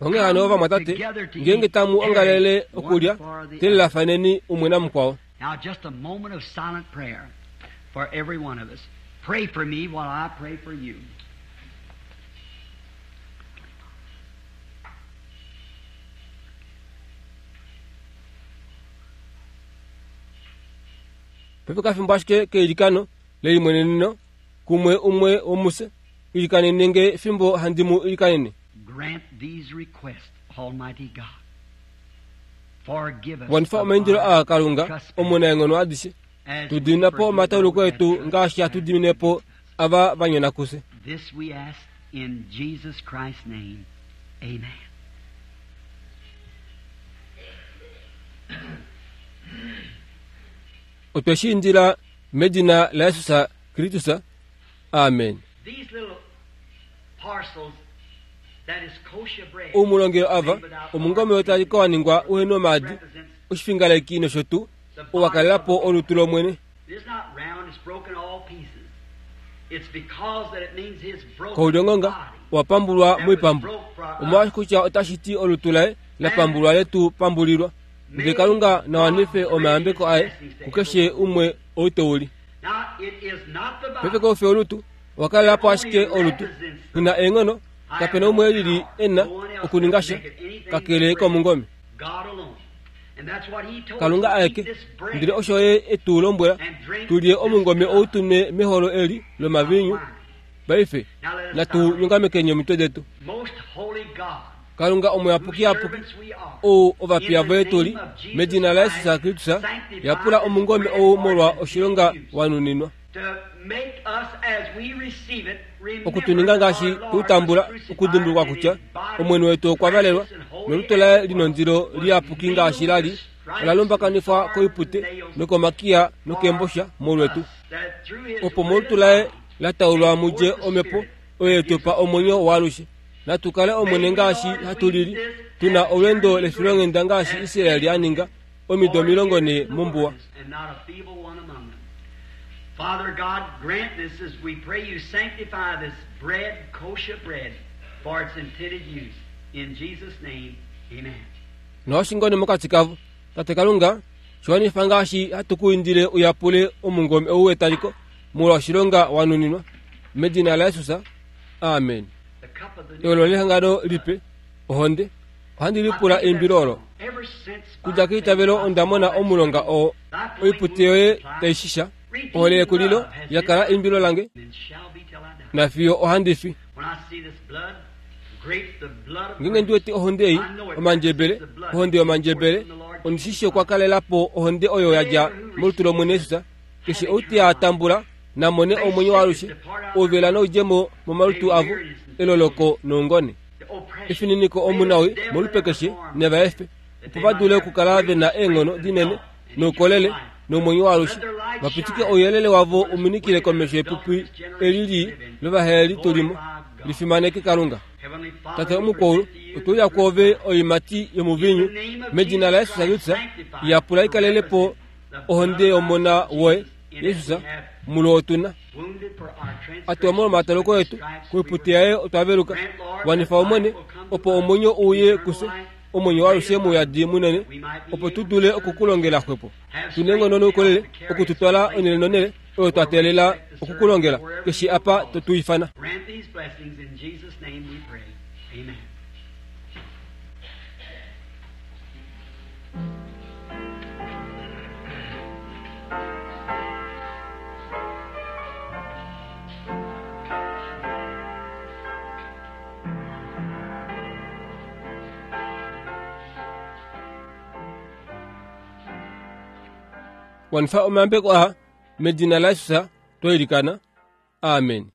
Onghee hano ovamwatate, ngeenge tamu ongalele okulya, telelafaneni umwe namukwao. Now just a moment of silent prayer for every one of us. Pray for me while I pray for you. Paife kafimbo ashike keilikano lelimweneneno kumwe umwe womufye, ilikanene nge fimbo handi mu ilikanene. Grant these requests, Almighty God. Forgive us Wanifa of omaindilo our aa Kalunga trespasses, omunaenghono adishe, as tu we dimina po forgive omatauluko those etu that ngaashi hatu trespass dimine po against us. ava va nyona kufye. This we ask in Jesus Christ's name. Amen. Otwe shi indila medina laJesus Kristus. Amen. These little parcels that is kosher bread Oumulongelo ava, made without omungome wotali ka waningwa uhena omaadi, represents oshifingaleki nosho tuu, the ou wa body kalela of po the olutu lOmwene. It is not round, it's broken all pieces. It's because that it means his broken Koulyongonga body owa pambulwa that was moipambu. broke for us. Omolwaashi kutya otashi ti olutu laye la pambulwa letu pambulilwa. Ndele Kalunga na wanife omayambeko aye kukeshe umwe ou te uli. Paife koufi olutu, owakalela po ashike olutu. Una eenghono, kapena umwe lili ena okuninga sha, kakele komungome. Kalunga aeke, ndele osho ye etu lombwela, tulye omungome ou tunwe meholo eli lomaviinyu. Paife, natu nyongamekeni omitwe detu. Kalunga omuyapukiyapuki, ou ovapiya voye tuli, medina laJesus Kristus, yapula omungome ou molwa oshilonga wanuninwa. Okutuninga ngaashi tutambula okudimbulukwa kutya Omwene wetu okwa valelwa nolutu laye linondilo liyapuki ngaashi lali ola lumbakanifwa koipute nokomakiya nokeembosha molwetu, opo molutu laye la taulwa mudje omhepo oyo yetupa omwenyo waalushe. Natu kale Omwene ngaashi hatu lili, tuna olweendo lefilonghenda ngaashi Israeli a ninga omido omilongo ne mombuwa. Father God, grant this as we pray you sanctify this bread, kosher bread, for its intended use. In Jesus' name, amen. Noshingone mokati kavo, Tate Kalunga, shiwanifa ngaashi hatu ku indile uyapule omungome ou wetaliko molwa oshilonga wanuninwa. Medina laJesus, amen. Eolo lehangano lipe, ohonde, ohandi lipula eimbilo olo. Kudja keitavelo onda mona omulonga oo, oipute yoye taishisha, ohole yekulilo yakala eimbilo lange, nafiyo ohandi fi. Ngeenge ndi wete ohonde ei, omandjebele, ohonde yomandjebele, ondishishi okwa kalela po ohonde oyo yadja molutu lOmwene Jesus. Keshe ou te a tambula namone omwenyo waalushe, ouvela noudjemo momalutu avo, eloloko noungone. Efininiko omunawi molupe keshe neva efe, opo va dule okukala ve na eenghono dinene noukolele nomwenyo waalushe, vapitike ouyelele wavo uminikile komesho yepupi eli lii lovaheli tulimo, lifimaneke Kalunga. Tate omukwaulu, otweuya kwoove oiimati yomuviinyu, medina laJesus Kristus, yapula ikalele po ohonde yOmona woye, Jesus, mulo otuna. Atuwa molwomataloko etu, koipute yaye otwa veluka. Wanifa Omwene, opo omwenyo uye kufye, omwenyo waalushe mouyadi munene, opo tu dule okukulongela xwepo. Tuna eenghono noukolele okututwala onhele nonhele oyo twa teelela okukulongela, keshe apa to tu ifana. Grant these blessings in Jesus' name we pray. Amen. Wanifa omayambeko aa medina laJesus twailikana. Amen.